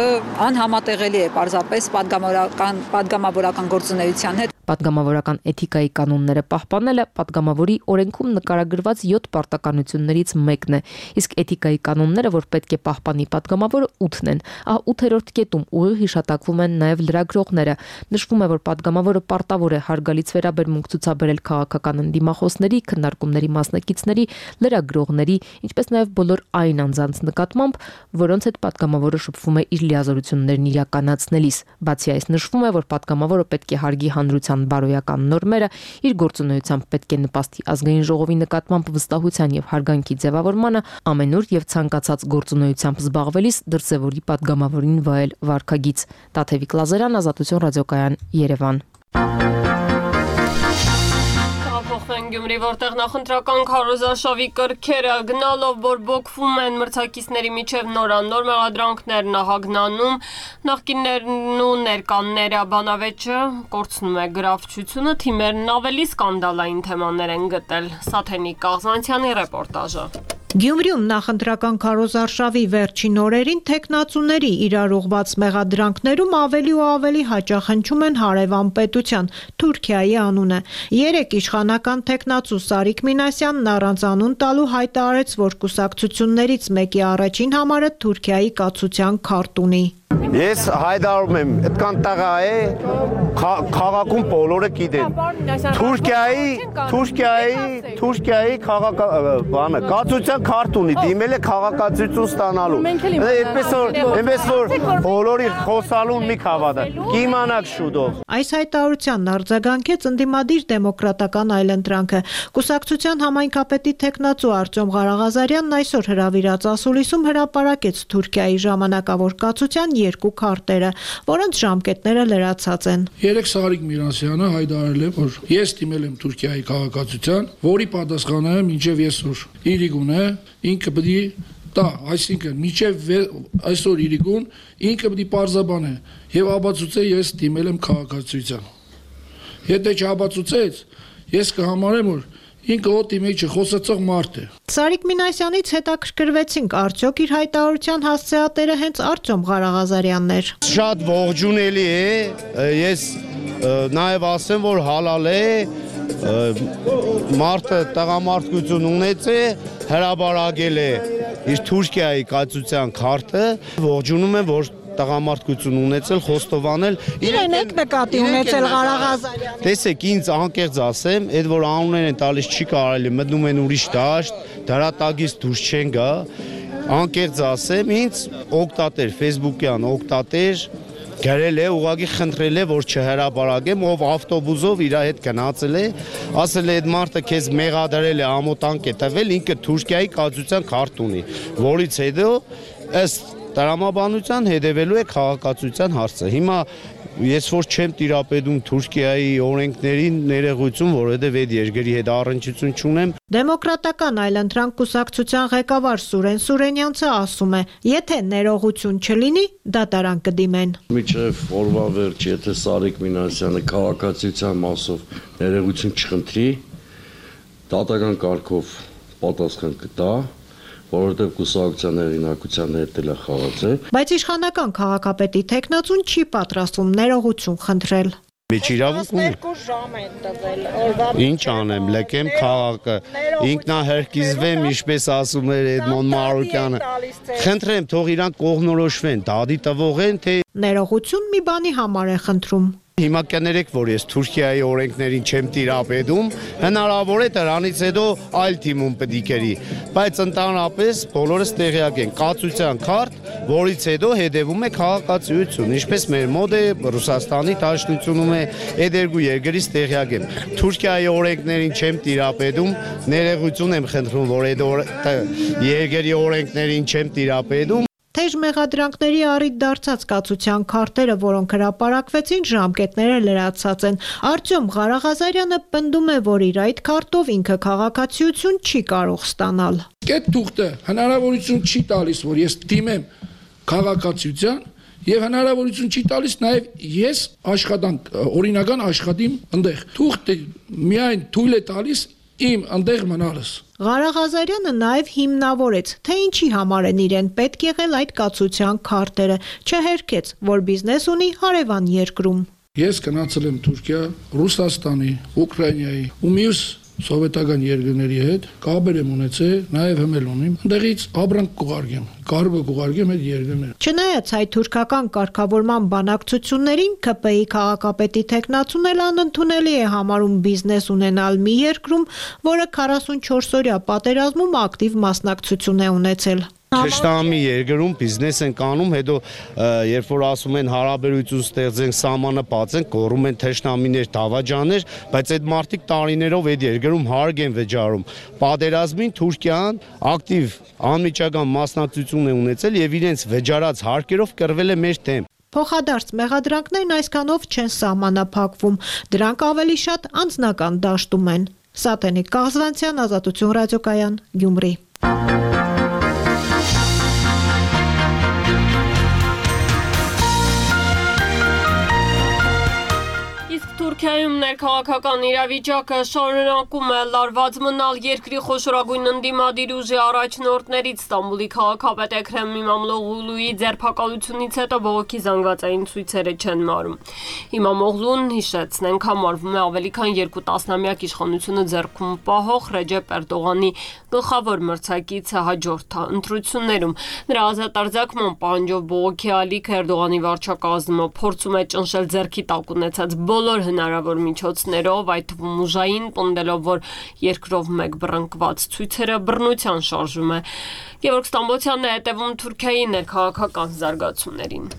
անհամատեղելի է պարզապես падգամավորական падգամավորական գործունեության հետ։ Պատգամավորական էթիկայի կանոնները պահպանելը պատգամավորի օրենքում նկարագրված յոթ պարտականություններից մեկն է, իսկ էթիկայի կանոնները, որ պետք է պահպանի պատգամավորը, ութն են։ Ահա ութերորդ կետում ուղիղ հիշատակվում են նաև լրագրողները։ Նշվում է, որ պատգամավորը պարտավոր է հարգալից վերաբերմունք ցուցաբերել քաղաքական ընդդիմախոսների, քննարկումների մասնակիցների, լրագրողների, ինչպես նաև բոլոր այն անձանց նկատմամբ, որոնց հետ պատգամավորը շփվում է իր լիազորություններն իրականացնելիս։ Բացի այս, նշվում է, որ պատգամավորը պետք է հարգի հանրության բարոյական նորմերը, իր գործունեությամբ պետք է նպաստի ազգային ժողովի նկատմամբ վստահության եւ հարգանքի ձևավորմանը, ամենուր եւ ցանկացած գործունեությամբ զբաղվելիս դրսևորի պատգամավորին վայել վարքագիծ։ Տաթևիկ Լազարյան, Ազատություն ռադիոկայան, Երևան։ Գյումրի, որտեղ նախընտրական քարոզարշավի կրքերը գնալով բորբոքվում են մրցակիցների միջև նորանոր մեղադրանքներ նահագնանում, նախկիններն ու ներկանները բանավեճը կորցնում է գրավչությունը, թիմերն ավելի սկանդալային թեմաներ են գտել։ Սաթենիկ Կաղզանցյանի ռեպորտաժը։ Գյումրիում նախընտրական քարոզարշավի վերջին օրերին թեկնածուների իրար ուղղված մեղադրանքներում ավելի ու ավելի հաճախ հնչում են հարևան պետության Թուրքիայի անունը։ Երեք իշխանական թեկնածու Սարիկ Մինասյանն առանց անուն տալու հայտարարեց, որ կուսակցություններից մեկի առաջին համարը Թուրքիայի կացության քարտ ունի։ Ես հայտարարում եմ, այդքան տղա է, քաղաքում բոլորը գիտեն։ Թուրքիայի, Թուրքիայի, Թուրքիայի քաղաքական կացության քարտ ունի, դիմել է քաղաքացիություն ստանալու։ Այդպես որ, այնպես որ բոլորի խոսալուն մի հավատա։ Կիմանաք շուտով։ Այս հայտարարությանն արձագանքեց ընդդիմադիր դեմոկրատական այլընտրանքը։ Կուսակցության համայնքապետի թեկնածու Արտյոմ Ղարաղազարյանն այսօր հրավիրած ասուլիսում հրապարակեց Թուրքիայի ժամանակավոր կացության երկու քարտերը, որոնց ժամկետները լրացած են։ Երեք Սարիկ Մինասյանը հայտարարել է, որ ես դիմել եմ Թուրքիայի քաղաքացիության, որի պատասխանը մինչև այսօր իրիկուն է, ինքը պետք է տա, այսինքն մինչև այսօր իրիկուն ինքը պետք է պարզաբանե եւ ապացուցե ես դիմել եմ քաղաքացիության։ Եթե չապացուցեց, ես կհամարեմ, որ ինքը օդի մեջ խոսացող մարդ է։ Սարիկ Մինասյանից հետաքրքրվեցինք, արդյոք իր հայտարարության հասցեատերը հենց Արտյոմ Ղարաղազարյանն էր։ Շատ ողջունելի է, ես նաև ասեմ, որ հալալ է, մարդը տղամարդկություն ունեցե, հրաբարակել է իր Թուրքիայի կացության քարտը, ողջունում եմ, որ տղամարդկություն ունեցել, խոստովանել։ Իրեն եք նկատի ունեցել Ղարաղազարյան։ Տեսեք, ինձ անկեղծ ասեմ, այդ որ անուններ են տալիս չի կարելի, մտնում են ուրիշ դաշտ, դրատագից դուրս չեն գա։ Անկեղծ ասեմ, ինձ օգտատեր, Facebook-յան օգտատեր գրել է, ուղղակի խնդրել է, որ չհրաբարակեմ, ով ավտոբուսով իր հետ գնացել է, ասել է այդ մարդը քեզ մեղադրել է, ամոթանք է տվել, ինքը Թուրքիայի կացության քարտ ունի, որից հետո ըստ տրամաբանության հետևելու է քաղաքացիության հարցը։ Հիմա ես որ չեմ տիրապետում Թուրքիայի օրենքներին ներողություն, որովհետև այդ երկրի հետ առնչություն չունեմ։ Դեմոկրատական այլընտրանք կուսակցության ղեկավար Սուրեն Սուրենյանցը ասում է, եթե ներողություն չլինի, դատարան կդիմեն։ Մինչև օրվա վերջ, եթե Սարիկ Մինասյանը քաղաքացիության մասով ներողություն չխնդրի, դատական կարգով պատասխան կտա, որովհետև կուսակցության հեղինակության հետ էլ է խաղացել։ Բայց իշխանական քաղաքապետի թեկնածուն չի պատրաստվում ներողություն խնդրել։ Մեջ իրավունք ունի։ երկու ժամ են տվել։ Ինչ անեմ, լեկեմ քաղաքը, ինքնահերկիզվեմ, ինչպես ասում էր Էդմոն Մարուկյանը։ Խնդրեմ, թող իրանք կողմնորոշվեն, դադի տվող են, թե Ներողություն մի բանի համար է խնդրում։ Հիմա կներեք, որ ես Թուրքիայի օրենքներին չեմ տիրապետում, հնարավոր է դրանից հետո այլ թիմում պետք է կերի, բայց ընդհանրապես բոլորս տեղյակ են, կացության քարտ, որից հետո հետևում է քաղաքացիություն, ինչպես մեր մոտ է Ռուսաստանի Դաշնությունում է, այդ երկու երկրից տեղյակ եմ։ Թուրքիայի օրենքներին չեմ տիրապետում, ներողություն եմ խնդրում, որ այդ երկրի օրենքներին չեմ տիրապետում։ Թեժ մեղադրանքների առիթ դարձած կացության քարտերը, որոնք հրապարակվեցին, ժամկետները լրացած են։ Արտյոմ Ղարաղազարյանը պնդում է, որ իր այդ քարտով ինքը քաղաքացիություն չի կարող ստանալ։ Այդ թուղթը հնարավորություն չի տալիս, որ ես դիմեմ քաղաքացիության եւ հնարավորություն չի տալիս նաեւ ես աշխատանք օրինական աշխատիմ այնտեղ։ Թուղթը միայն թույլ է տալիս իմ այնտեղ մնալս։ Ղարաղազարյանը նաև հիմնավորեց, թե ինչի համար են իրեն պետք եղել այդ կացության քարտերը, չհերքեց, որ բիզնես ունի հարևան երկրում։ Ես գնացել եմ Թուրքիա, Ռուսաստանի, Ուկրաինայի ու մյուս սովետական երկրների հետ կապեր եմ ունեցել, նաև հմել ունիմ, այնտեղից ապրանք կուղարկեմ, կարողը կուղարկեմ այդ երկրները։ Չնայած հայ թուրքական կարգավորման բանակցություններին K P I քաղաքապետի թեկնածուն էլ անընդունելի է համարում բիզնես ունենալ մի երկրում, որը քառասունչորս օրյա պատերազմում ակտիվ մասնակցություն է ունեցել։ Թշնամի երկրում բիզնես են կանում, հետո երբ որ ասում են հարաբերություն ստեղծենք, սահմանը բացենք, կորում են թշնամիներ, դավաճաններ, բայց այդ մարդիկ տարիներով այդ երկրում հարկ են վճարում։ Պատերազմին Թուրքիան ակտիվ անմիջական մասնակցություն է ունեցել եւ իրենց վճարած հարկերով կռվել է մեր դեմ։ Փոխադարձ մեղադրանքներն այսքանով չեն սահմանափակվում, դրանք ավելի շատ անձնական դաշտում են։ Սատենիկ Կաղզվանցյան, Ազատություն ռադիոկայան, Գյումրի։ Թուրքիայում ներքաղաքական իրավիճակը շարունակում է լարված մնալ երկրի խոշորագույն ընդդիմադիր ուժի առաջնորդներից Ստամբուլի քաղաքապետ Էքրեմ Իմամօղլուի ձերբակալությունից հետո բողոքի զանգվածային ցույցերը չեն մարում։ Իմամօղլուն, հիշեցնենք, համարվում է ավելի քան երկու տասնամյակ իշխանությունը ձեռքում պահող Ռեջեփ Էրդողանի գլխավոր մրցակիցը հաջորդ ընտրություններում։ Նրա ազատարձակման պահանջով բողոքի ալիք Էրդողանի վարչակազմը փորձում է ճնշել ձեռքի տակ ունեցած բոլոր հնարավոր միջոցներով, այդ թվում ուժային, պնդելով, որ երկրով մեկ բռնկված ցույցերը բռնության շարժում է։ Գևորգ Ստամբոլցյանն է հետևում Թուրքիայի ներքաղաքական զարգացումներին։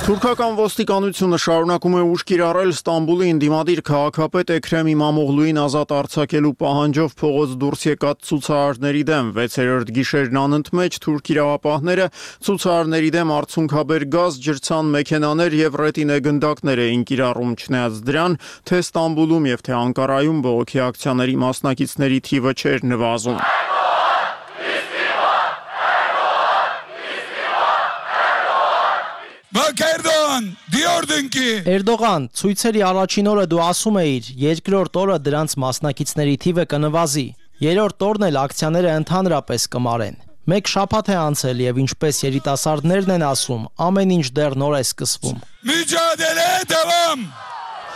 Թուրքական ոստիկանությունը շարունակում է ուժ կիրառել Ստամբուլի ընդդիմադիր քաղաքապետ Էքրեմ Իմամօղլուին ազատ արձակելու պահանջով փողոց դուրս եկած ցուցարարների դեմ։ վեցերորդ գիշերն անընդմեջ թուրք իրավապահները ցուցարարների դեմ արցունքաբեր գազ, ջրցան մեքենաներ եւ ռետինե գնդակներ էին կիրառում, չնայած դրան, թե Ստամբուլում եւ թե Անկարայում բողոքի ակցիաների մասնակիցների թիվը չէր նվազում։ Erdoğan diyordun ki Erdoğan, ցույցերի առաջին օրը դու ասում էիր, երկրորդ օրը դրանց մասնակիցների թիվը կնվազի։ Երրորդ օրն էլ ակցիաները ընդհանրապես կմարեն։ Մեկ շաբաթ է անցել եւ ինչպես երիտասարդներն են ասում, ամեն ինչ դեռ նոր է սկսվում։ Mücadele devam.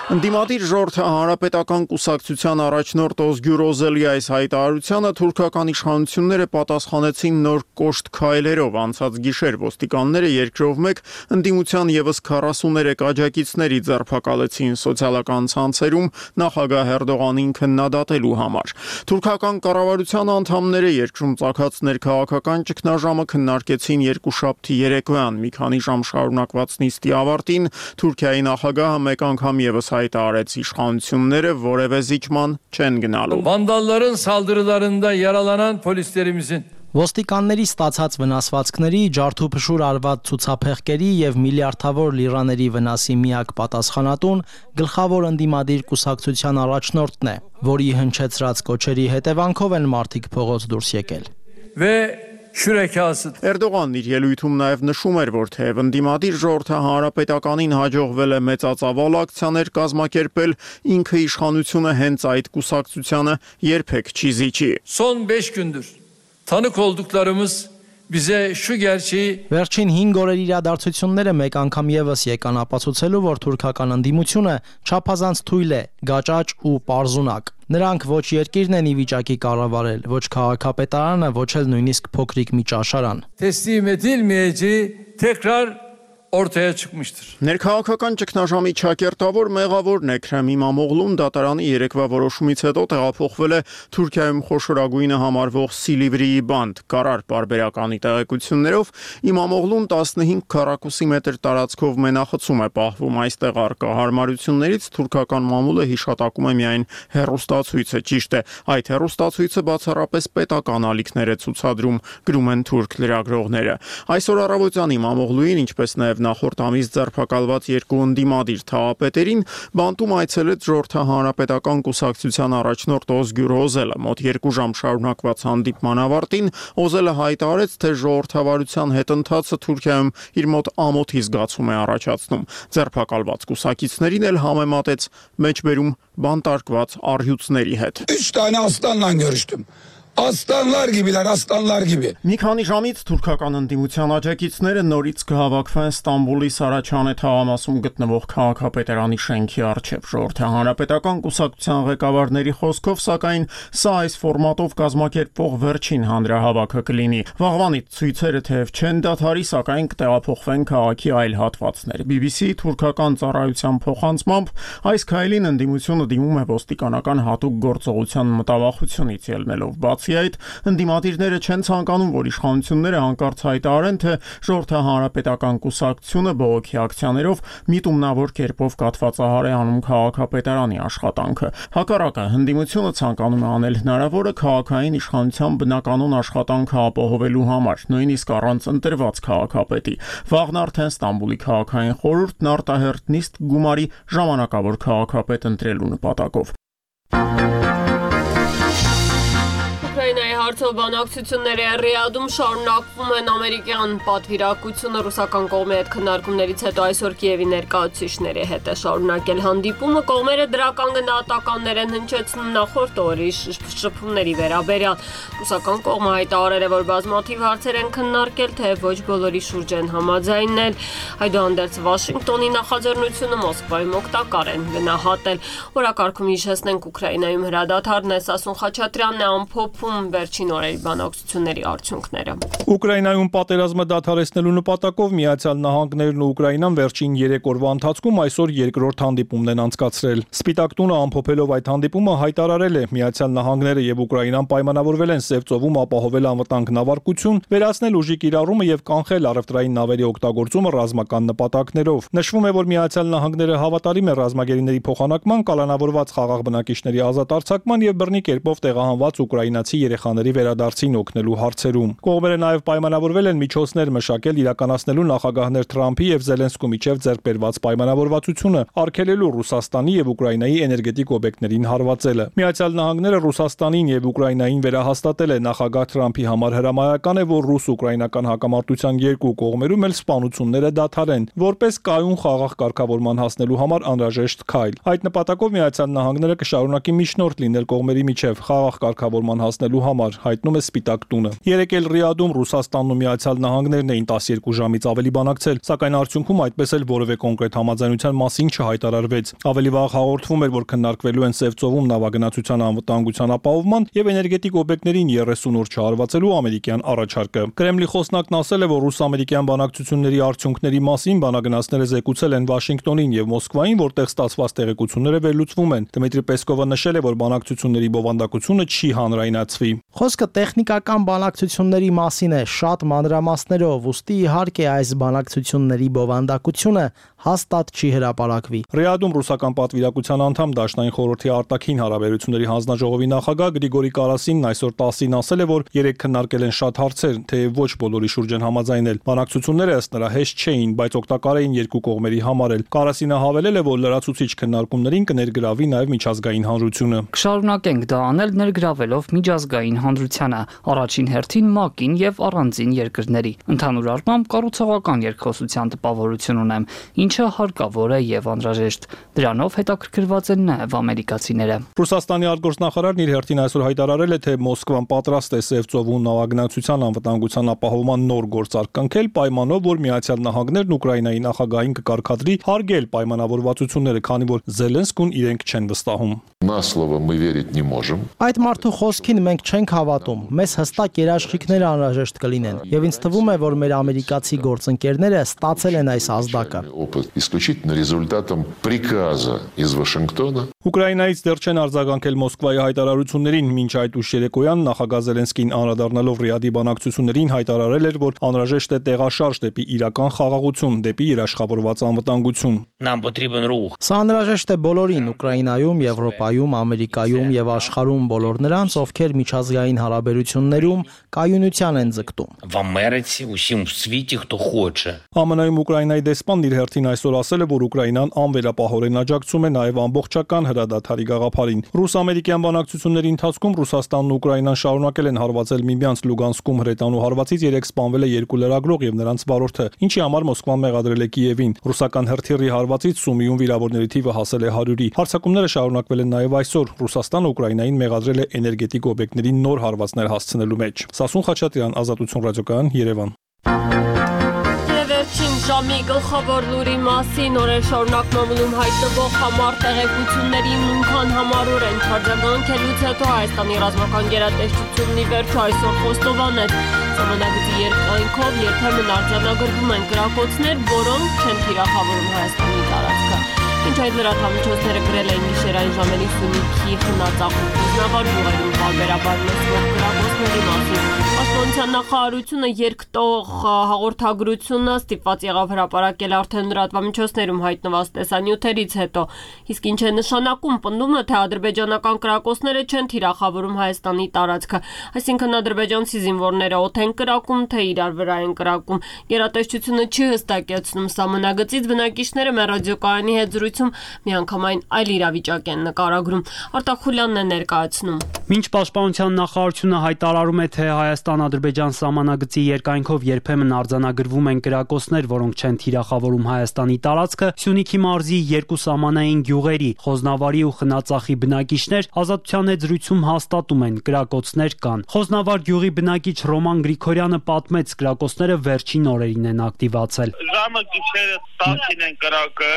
Ընդդիմադիր ժողովրդի հանրապետական կուսակցության առաջնորդ Օզգյուր Օզելի այս հայտարարությանը թուրքական իշխանությունները պատասխանեցին նոր կոշտ քայլերով։ Անցած գիշեր ոստիկանները երկրով մեկ ընդդիմության եւս քառասուներեք աջակիցների ձերբակալեցին սոցիալական ցանցերում նախագահ Էրդողանին քննադատելու համար։ Թուրքական կառավարության անդամները երկրում ցակած ներքաղաքական ճգնաժամը քննարկեցին երկուշաբթի երեկոյան։ Մի քանի ժամ շարունակված նիստի ավարտին Թուրքիայի նախագահը մեկ անգամ եւս հայտարարեց իշխանությունները որևէ զիջման չեն գնալու։ Vandalların saldırılarında yaralanan polislerimizin Ոստիկանների ստացած վնասվածքների, ջարդուփշուր արված ցուցափեղկերի եւ միլիարդավոր լիրաների վնասի միակ պատասխանատուն գլխավոր ընդդիմադիր կուսակցության առաջնորդն է, որի հնչեցրած կոչերի հետևանքով են մարդիկ փողոց դուրս եկել։ Ve şürekası. Էրդողանն իր ելույթում նաև նշում էր, որ թեև ընդդիմադիր ժողովրդի հանրապետականին հաջողվել է մեծածավալ ակցիաներ կազմակերպել, ինքը իշխանությունը հենց այդ կուսակցությանը երբեք չի զիջի։ Son beş gündür tanık olduklarımız bize şu gerçeği Վերջին հինգ օրերի իրադարձությունները մեկ անգամ եւս եկան ապացուցելու, որ թուրքական ընդդիմությունը չափազանց թույլ է, գաճաճ ու պարզունակ։ Նրանք ոչ երկիրն են ի վիճակի կառավարել, ոչ քաղաքապետարանը, ոչ էլ նույնիսկ փոքրիկ մի ճաշարան։ teslim edilmeyeceği tekrar ortaya çıkmıştır. Ներքաղաքական ճգնաժամի ճակերտավոր մեղավորն Էքրեմ Իմամօղլուն դատարանի երեկվա որոշումից հետո տեղափոխվել է Թուրքիայում խոշորագույնը համարվող Սիլիվրիի բանդ։ Կարար պարբերականի տեղեկություններով Իմամօղլուն տասնհինգ քառակուսի մետր տարածքով մենախցում է պահվում։ Այստեղ առկա հարմարություններից թուրքական մամուլը հիշատակում է միայն հեռուստացույցը։ Ճիշտ է, այդ հեռուստացույցը բացառապես պետական ալիքներ է ցուցադրում, գրում են թուրք լրագրողները։ Այսօր առավոտյան Իմամօղլուին, ինչպես նաև նախորդ ամիս ձերբակալված երկու ընդդիմադիր թաղապետերին բանտում այցելեց Ժողովրդի հանրապետական կուսակցության առաջնորդ Օզգյուր Օզելը։ Մոտ երկու ժամ շարունակված հանդիպման ավարտին Օզելը հայտարարեց, թե ժողովրդավարության հետընթացը Թուրքիայում իր մոտ ամոթի զգացում է առաջացնում։ Ձերբակալված կուսակիցներին էլ համեմատեց մեջբերում բանտարկված առյուծների հետ։ Üç tane aslanla görüştüm. Aslanlar gibiler, aslanlar gibi. Մի քանի ժամից թուրքական ընդդիմության աջակիցները նորից կհավաքվեն Ստամբուլի Սարաչանե թաղամասում գտնվող քաղաքապետարանի շենքի առջև։ Ժողովրդի հանրապետական կուսակցության ղեկավարների խոսքով, սակայն սա այս ֆորմատով կազմակերպվող վերջին հանրահավաքը կլինի։ Վաղվանից ցույցերը թեև չեն դադարի, սակայն կտեղափոխվեն քաղաքի այլ հատվածներ։ բի բի սի թուրքական ծառայության փոխանցմամբ այս քայլին ընդդիմությունը դիմում է ոստիկանական հատուկ գործողության մտավախությունից ելնելով։ Բացի այդ, ընդդիմադիրները չեն ցանկանում, որ իշխանությունները հանկարծ հայտարարեն, թե Ժողովրդի հանրապետական կուսակցությունը բողոքի ակցիաներով միտումնավոր կերպով կատվածահար է անում քաղաքապետարանի աշխատանքը։ Հակառակը, ընդդիմությունը ցանկանում է անել հնարավորը քաղաքային իշխանության բնականոն աշխատանքը ապահովելու համար, նույնիսկ առանց ընտրված քաղաքապետի։ Վաղն արդեն Ստամբուլի քաղաքային խորհուրդն արտահերթ նիստ գումարի ժամանակավոր քաղաքապետ ընտրելու նպատակով։ Ուկրաինայի հարցով բանակցությունները Ռիադում շարունակվում են ամերիկյան պատվիրակությունը ռուսական կողմի հետ քննարկումներից հետո այսօր Կիևի ներկայացուցիչների հետ է շարունակել հանդիպումը, կողմերը դրական գնահատականներ են հնչեցնում նախորդ օրի շփումների վերաբերյալ։ Ռուսական կողմը հայտարարել է, որ բազմաթիվ հարցեր են քննարկել, թեև ոչ բոլորի շուրջ են համաձայնել։ Այդուհանդերձ Վաշինգտոնի նախաձեռնությունը Մոսկվայում օգտակար են գնահատել։ Օրակարգում հիշեցնենք Ուկրաինայում հրադադարն է, Սասուն Խաչատրյանն է ամփոփում վերջին օրերի բանակցությունների արդյունքները։ Ուկրաինայում պատերազմը դադարեցնելու նպատակով Միացյալ Նահանգներն ու Ուկրաինան վերջին երեք օրվա ընթացքում այսօր երկրորդ հանդիպումն են անցկացրել։ Սպիտակ տունը ամփոփելով այդ հանդիպումը հայտարարել է, Միացյալ Նահանգները եւ Ուկրաինան պայմանավորվել են Սև ծովում ապահովել անվտանգ նավարկություն, վերացնել ուժի կիրառումը եւ կանխել առևտրային նավերի օգտագործումը ռազմական նպատակներով։ Նշվում է, որ Միացյալ Նահանգները հավատարիմ է ռազմագերիների փոխանակման, կալանավորված խաղաղ բնակիչների ազատ արձակման եւ բռնի կերպով տեղահանված ուկրաինացի երեխաների վերադարձին օգնելու հարցերում։ Կողմերը նաև պայմանավորվել են միջոցներ մշակել իրականացնելու նախագահներ Թրամփի եւ Զելենսկու միջև ձեռք բերված պայմանավորվածությունը, արգելելու Ռուսաստանի եւ Ուկրաինայի էներգետիկ օբյեկտներին հարվածելը։ Միացյալ Նահանգները Ռուսաստանին եւ Ուկրաինային վերահաստատել է նախագահ Թրամփի համար հրամայական է, որ ռուս-ուկրաինական հակամարտության երկու կողմերում էլ սպանությունները դադարեն, որպես կայուն խաղաղ կարգավորման հասնելու համար անհրաժեշտ քայլ։ Այդ նպատակով Միացյալ Նահանգները կշարունակի միջնորդ լինել կողմերի միջև խաղաղ կարգավորման հասնելու համար, հայտնում է Սպիտակ տունը։ Երեկ էլ Ռիադում Ռուսաստանն ու Միացյալ Նահանգներն էին տասներկու ժամից ավելի բանակցել, սակայն արդյունքում այդպես էլ որևէ կոնկրետ համաձայնության մասին չհայտարարվեց։ Ավելի վաղ հաղորդվում էր, որ քննարկվելու են Սև ծովում նավագնացության անվտանգության ապահովման եւ էներգետիկ օբյեկտներին երեսուն օր չհարվածելու ամերիկյան առաջարկը։ Կրեմլի խոսնակն ասել է, որ ռուս-ամերիկյան բանակցությունների արդյունքների մասին բանագնացները զեկուցել են Վաշինգտոնին եւ Մոսկվային, որտեղ ստացված տեղեկությունները վերլուծվում են։ Դմիտրի Պեսկովը նշել է, որ բանակցությունների բովանդակությունը չի հանրայնացվի։ Խոսքը տեխնիկական բանակցությունների մասին է, շատ մանրամասներով, ուստի իհարկե այս բանակցությունների բովանդակությունը հաստատ չի հրապարակվի։ Ռիադում ռուսական պատվիրակության անդամ Դաշնային խորհրդի արտաքին հարաբերությունների հանձնաժողովի նախագահ Գրիգորի Կարասինն այսօր տասին ասել է, որ երեք քննարկել են շատ հարցեր, թեև ոչ բոլորի շուրջ են համաձայնել։ Բանակցությունները ըստ նրա հեշտ չէին, բայց օգտակար էին երկու կողմերի համար էլ։ Կարասինը հավելել է, որ լրացուցիչ քննարկումներին կներգրավի նաև միջազգային հանրությունը։ Կշարունակենք դա անել ներգրավելով միջազգային հանրությանը, առաջին հերթին ՄԱԿ-ին եւ առանձին երկրների։ Ընդհանուր առմամբ կառուցողական երկխոսության տպավորություն ունեմ, ինչը հարկավոր է եւ անհրաժեշտ։ Դրանով հետաքրքրված են նաեւ ամերիկացիները։ Ռուսաստանի արտգործնախարարն իր հերթին այսօր հայտարարել է, թե Մոսկվան պատրաստ է Սև ծովու նավագնացության անվտանգության ապահովման նոր գործարք կնքել, պայմանով, որ Միացյալ Նահանգներն Ուկրաինայի նախագահին կկարգադրի հարգել պայմանավորվածությունները, քանի որ Զելենսկուն իրենք չեն վստահում։ На слово мы верить не можем. Այդ մարդու խոսքին մենք չենք հավատում։ Մեզ հստակ երաշխիքներ անհրաժեշտ կլինեն, եւ ինձ թվում է, որ մեր ամերիկացի գործընկերները ստացել են այս ազդակը։ Опыт исключительно результатом приказа из Вашингтона. Ուկրաինայից դեռ չեն արձագանքել Մոսկվայի հայտարարություններին, մինչ այդ ուշ երեկոյան նախագահ Զելենսկին անդրադառնալով Ռիադի բանակցություններին հայտարարել էր, որ անհրաժեշտ է տեղաշարժ դեպի իրական խաղաղություն, դեպի երաշխավորված անվտանգություն։ Սա անհրաժեշտ է բոլորին Ուկրաինայում, Եվրոպայում, Ամերիկայում եւ աշխարհում բոլոր նրանց, ովքեր միջազգային հարաբերություններում կայունության են ձգտում։ ԱՄՆ-ում Ուկրաինայի դեսպանն իր հերթին այսօր ասել է, որ Ուկրաինան անվերապահորեն աջակցում է նաեւ ամբողջական հրադադարի գաղափարին։ Ռուս-ամերիկյան բանակցությունների ընթացքում Ռուսաստանն ու Ուկրաինան շարունակել են հարվածել միմյանց Լուգանսկում հրետանու հարվածից երեք սպանվել է երկու լրագրող եւ նրանց վարորդը, ինչի համար Մոսկվան մեղադրել է Կիևին։ Ռուսական հրթիռի հարվածից Սումիում վիրավորների թիվը հասել է հարյուրի։ Հարձակումները շարունակվել են նաեւ այսօր։ Ռուսաստանը Ուկրաինային մեղադրել է էներգետիկ օբյեկտների նոր հարվածներ հասցնելու մեջ։ Սասուն Խաչատրյան, Ազատություն ռադիոկայան, Երևան։ Վերջին ժամի գլխավոր լուրի մասին օրեր շարունակ մամուլում հայտնվող համառ տեղեկությունների նույնքան համառոր են արձագանքելուց հետո Հայաստանի ռազմական գերատեսչությունն ի վերջո այսօր խոստովանեց, սահմանագծի երկայնքով երբեմն արձանագրվում են կրակոցներ, որոնք չեն թիրախավորում Հայաստանի տարածքը։ Ինչ այդ լրատվամիջոցները գրել էին գիշերային ժամերի Սյունիքի խնածախում Կուզնավար գյուղերում պարբերաբար լսվող կրակոցների մասին։ Պաշտպանության նախարարությունը երկտող հաղորդագրությունը ստիպված եղավ հրապարակել արդեն լրատվամիջոցներում հայտնված տեսանյութերից հետո։ Իսկ ինչ է նշանակում, պնդում է, թե ադրբեջանական կրակոցները չեն թիրախավորում Հայաստանի տարածքը, այսինքն ադրբեջանցի զինվորները օդ են կրակում, թե իրար վրա են կրակում։ Գերատեսչությունը չի հստակեցնում սահմանագծից, բնակիչները մեր ռադիոկայանի հետ զրույցում միանգամայն այլ իրավիճակ են նկարագրում։ Արտակ Խուլյանն է ներկայացնում։ Մինչ Պաշտպանության նախարարությունը հայտարարում է, թե Հայաստան-Ադրբեջան սահմանագծի երկայնքով երբեմն արձանագրվում են կրակոցներ, որոնք չեն թիրախավորում Հայաստանի տարածքը, Սյունիքի մարզի երկու սահմանային գյուղերի Խոզնավարի ու Խնածախի բնակիչներ Ազատության հետ զրույցում հաստատում են կրակոցներ կան։ Խոզնավար գյուղի բնակիչ Ռոման Գրիգորյանը պատմեց, կրակոցները վերջին օրերին են ակտիվացել։ Ժամը գիշերը տասին են կրակը,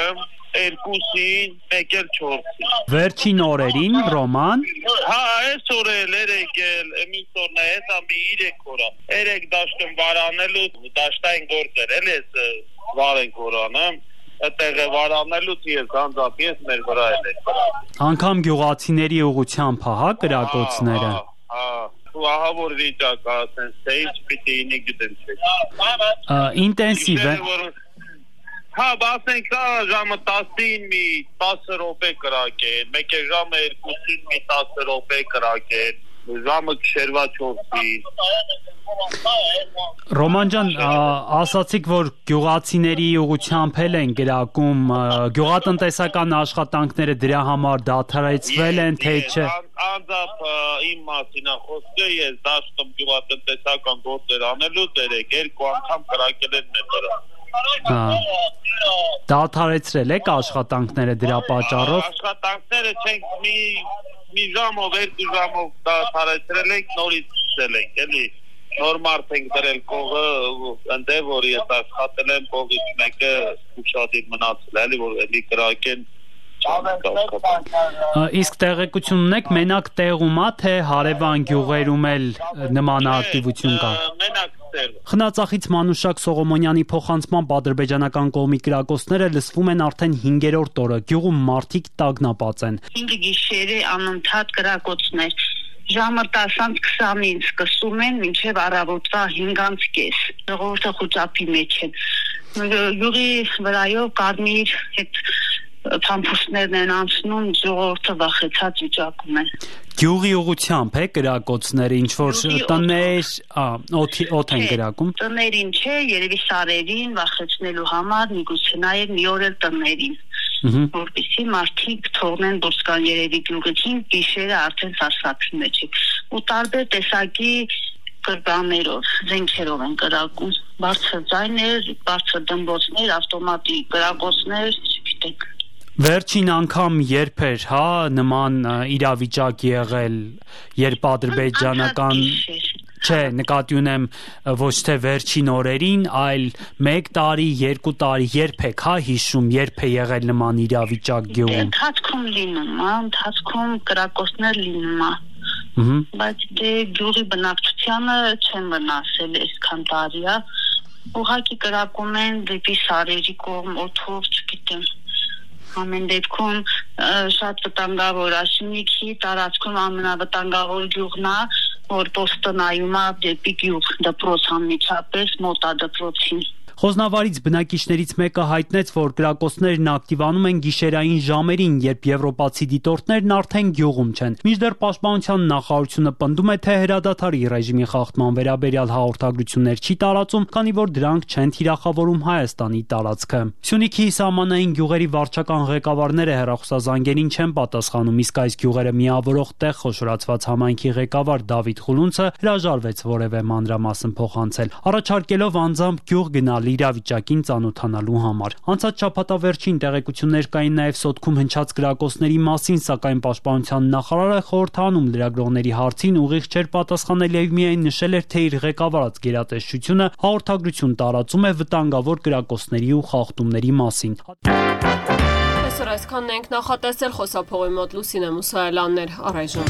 երկուսին, մեկ էլ չորսին։ Վերջին օրերին, Ռոման։ Հա, այս օրել երեք էլ, մինչ օրն է, հեսա մի իրեք օրա։ Երեք դաշտում վարանելու, դաշտային գործեր, էլ ես վարենք օրանը, այդտեղ է վարանելուց ես անձամբ ես մեր վրա էլ է։ Անգամ գյուղացիների ուղղությամբ հա կրակոցները։ Հա, ու ահա որ վիճակը ասեն, թե ինչ պիտի ինի գտեն չէ։ Ինտենսիվ է։ Հա, ասենք դա ժամը տասին մի տասը րոպե կրակեն, մեկ է ժամը երկուսին մի տասը րոպե կրակեն, ժամը գիշերվա չորսին։ Ռոման ջան, ասացիք, որ գյուղացիների ուղղությամբ էլ են գրակում, գյուղատնտեսական աշխատանքները դրա համար դադարեցվել են, թե չէ։ Անձամբ իմ մասին խոսքը, ես դաշտում գյուղատնտեսական գործեր անելուց երեք երկու անգամ կրակել են մեր վրա։ Դադարեցրել եք աշխատանքները դրա պատճառով։ Աշխատանքները չենք մի մի ժամով, երկու ժամով դադարեցրել ենք, նորից սկսել ենք, էլի նոր մարդ ենք դրել կողը, ընդ որ ես աշխատել եմ կողից մեկը ուշադիր մնացել, էլի որ էլի կրակեն։ Իսկ տեղեկություն ունեք մենակ տեղում է, թե հարևան գյուղերում էլ նման ակտիվություն կա։ Մենակ Խնածախից Մանուշակ Սողոմոնյանի փոխանցմամբ ադրբեջանական կողմի կրակոցները լսվում են արդեն հինգերորդ օրը, գյուղում մարդիկ տագնապած են։ Հինգ գիշերը անընդհատ կրակոցներ, ժամը տասանց քսանին սկսում են, մինչև առավոտվա հինգանց կես, ժողովուրդը խուճապի մեջ են, գյուղի վրայով կարմիր հետ փամփուշտներն են անցնում, ժողովուրդը վախեցած վիճակում են։ Գյուղի ուղությամբ է կրակոցները, ինչ որ տներ, օդ են կրակում։ Տներին չէ, երևի սարերին վախեցնելու համար, միգուցե նաև մի օր էլ տներին, որպեսզի մարդիկ թողնեն դուրս գան երևի գյուղից, գիշերը արդեն սարսափի մեջ է։ Ու տարբեր տեսակի կրտաններով, զենքերով են կրակում։ Բարձր ձայներ, բարձր դմբոցներ, ավտոմատիկ կրակոցներ, չգիտեք։ Վերջին անգամ երբ էր, հա, նման իրավիճակ եղել, երբ ադրբեջանական Չէ, նկատի ունեմ ոչ թե վերջին օրերին, այլ մեկ տարի, երկու տարի, երբ եք, հա, հիշում, երբ է եղել նման իրավիճակ գյուղում։ Ընթացքում լինում, հա, ընթացքում կրակոցներ լինում, հա։ Բայց դե գյուղի բնակչությանը չեն վնասել այսքան տարի, հա։ Ուղղակի կրակում են դեպի սարերի կողմ, օդով, չգիտեմ։ Ամեն դեպքում շատ վտանգավոր Աշնիկի տարածքում ամենավտանգավոր գյուղն է, որ պոստը նայում է դեպի գյուղ, դպրոց անմիջապես մոտ է դպրոցին։ Խոսնավարից բնակիչներից մեկը հայտնեց, որ կրակոցներն ակտիվանում են գիշերային ժամերին, երբ եվրոպացի դիտորդներն արդեն գյուղում չեն։ Մինչդեռ Պաշտպանության նախարարությունը պնդում է, թե հրադադարի ռեժիմի խախտման վերաբերյալ հաղորդագրություններ չի տարածում, քանի որ դրանք չեն թիրախավորում Հայաստանի տարածքը։ Սյունիքի սահմանային գյուղերի վարչական ղեկավարները հեռախոսազանգերին չեն պատասխանում, իսկ այս գյուղերը միավորող տեղ խոշորացված համայնքի ղեկավար Դավիթ Խուլունցը հրաժարվեց որևէ մանրամասն փոխանցել, առաջարկելով անձամբ գյուղ գնալ իրավիճակին ծանոթանալու համար։ Անցած շաբաթավերջին տեղեկություններ կային նաև Սոտքում հնչած կրակոցների մասին, սակայն Պաշտպանության նախարարը խորհրդանում լրագրողների հարցին ուղիղ չէր պատասխանել եւ միայն նշել էր, թե իր ղեկավարած գերատեսչությունը հաղորդագրություն տարածում է վտանգավոր կրակոցների ու խախտումների մասին։ Այսօր այսքանն ենք նախատեսել, խոսափողի մոտ Լուսինե Մուսայելյանն էր, առայժմ։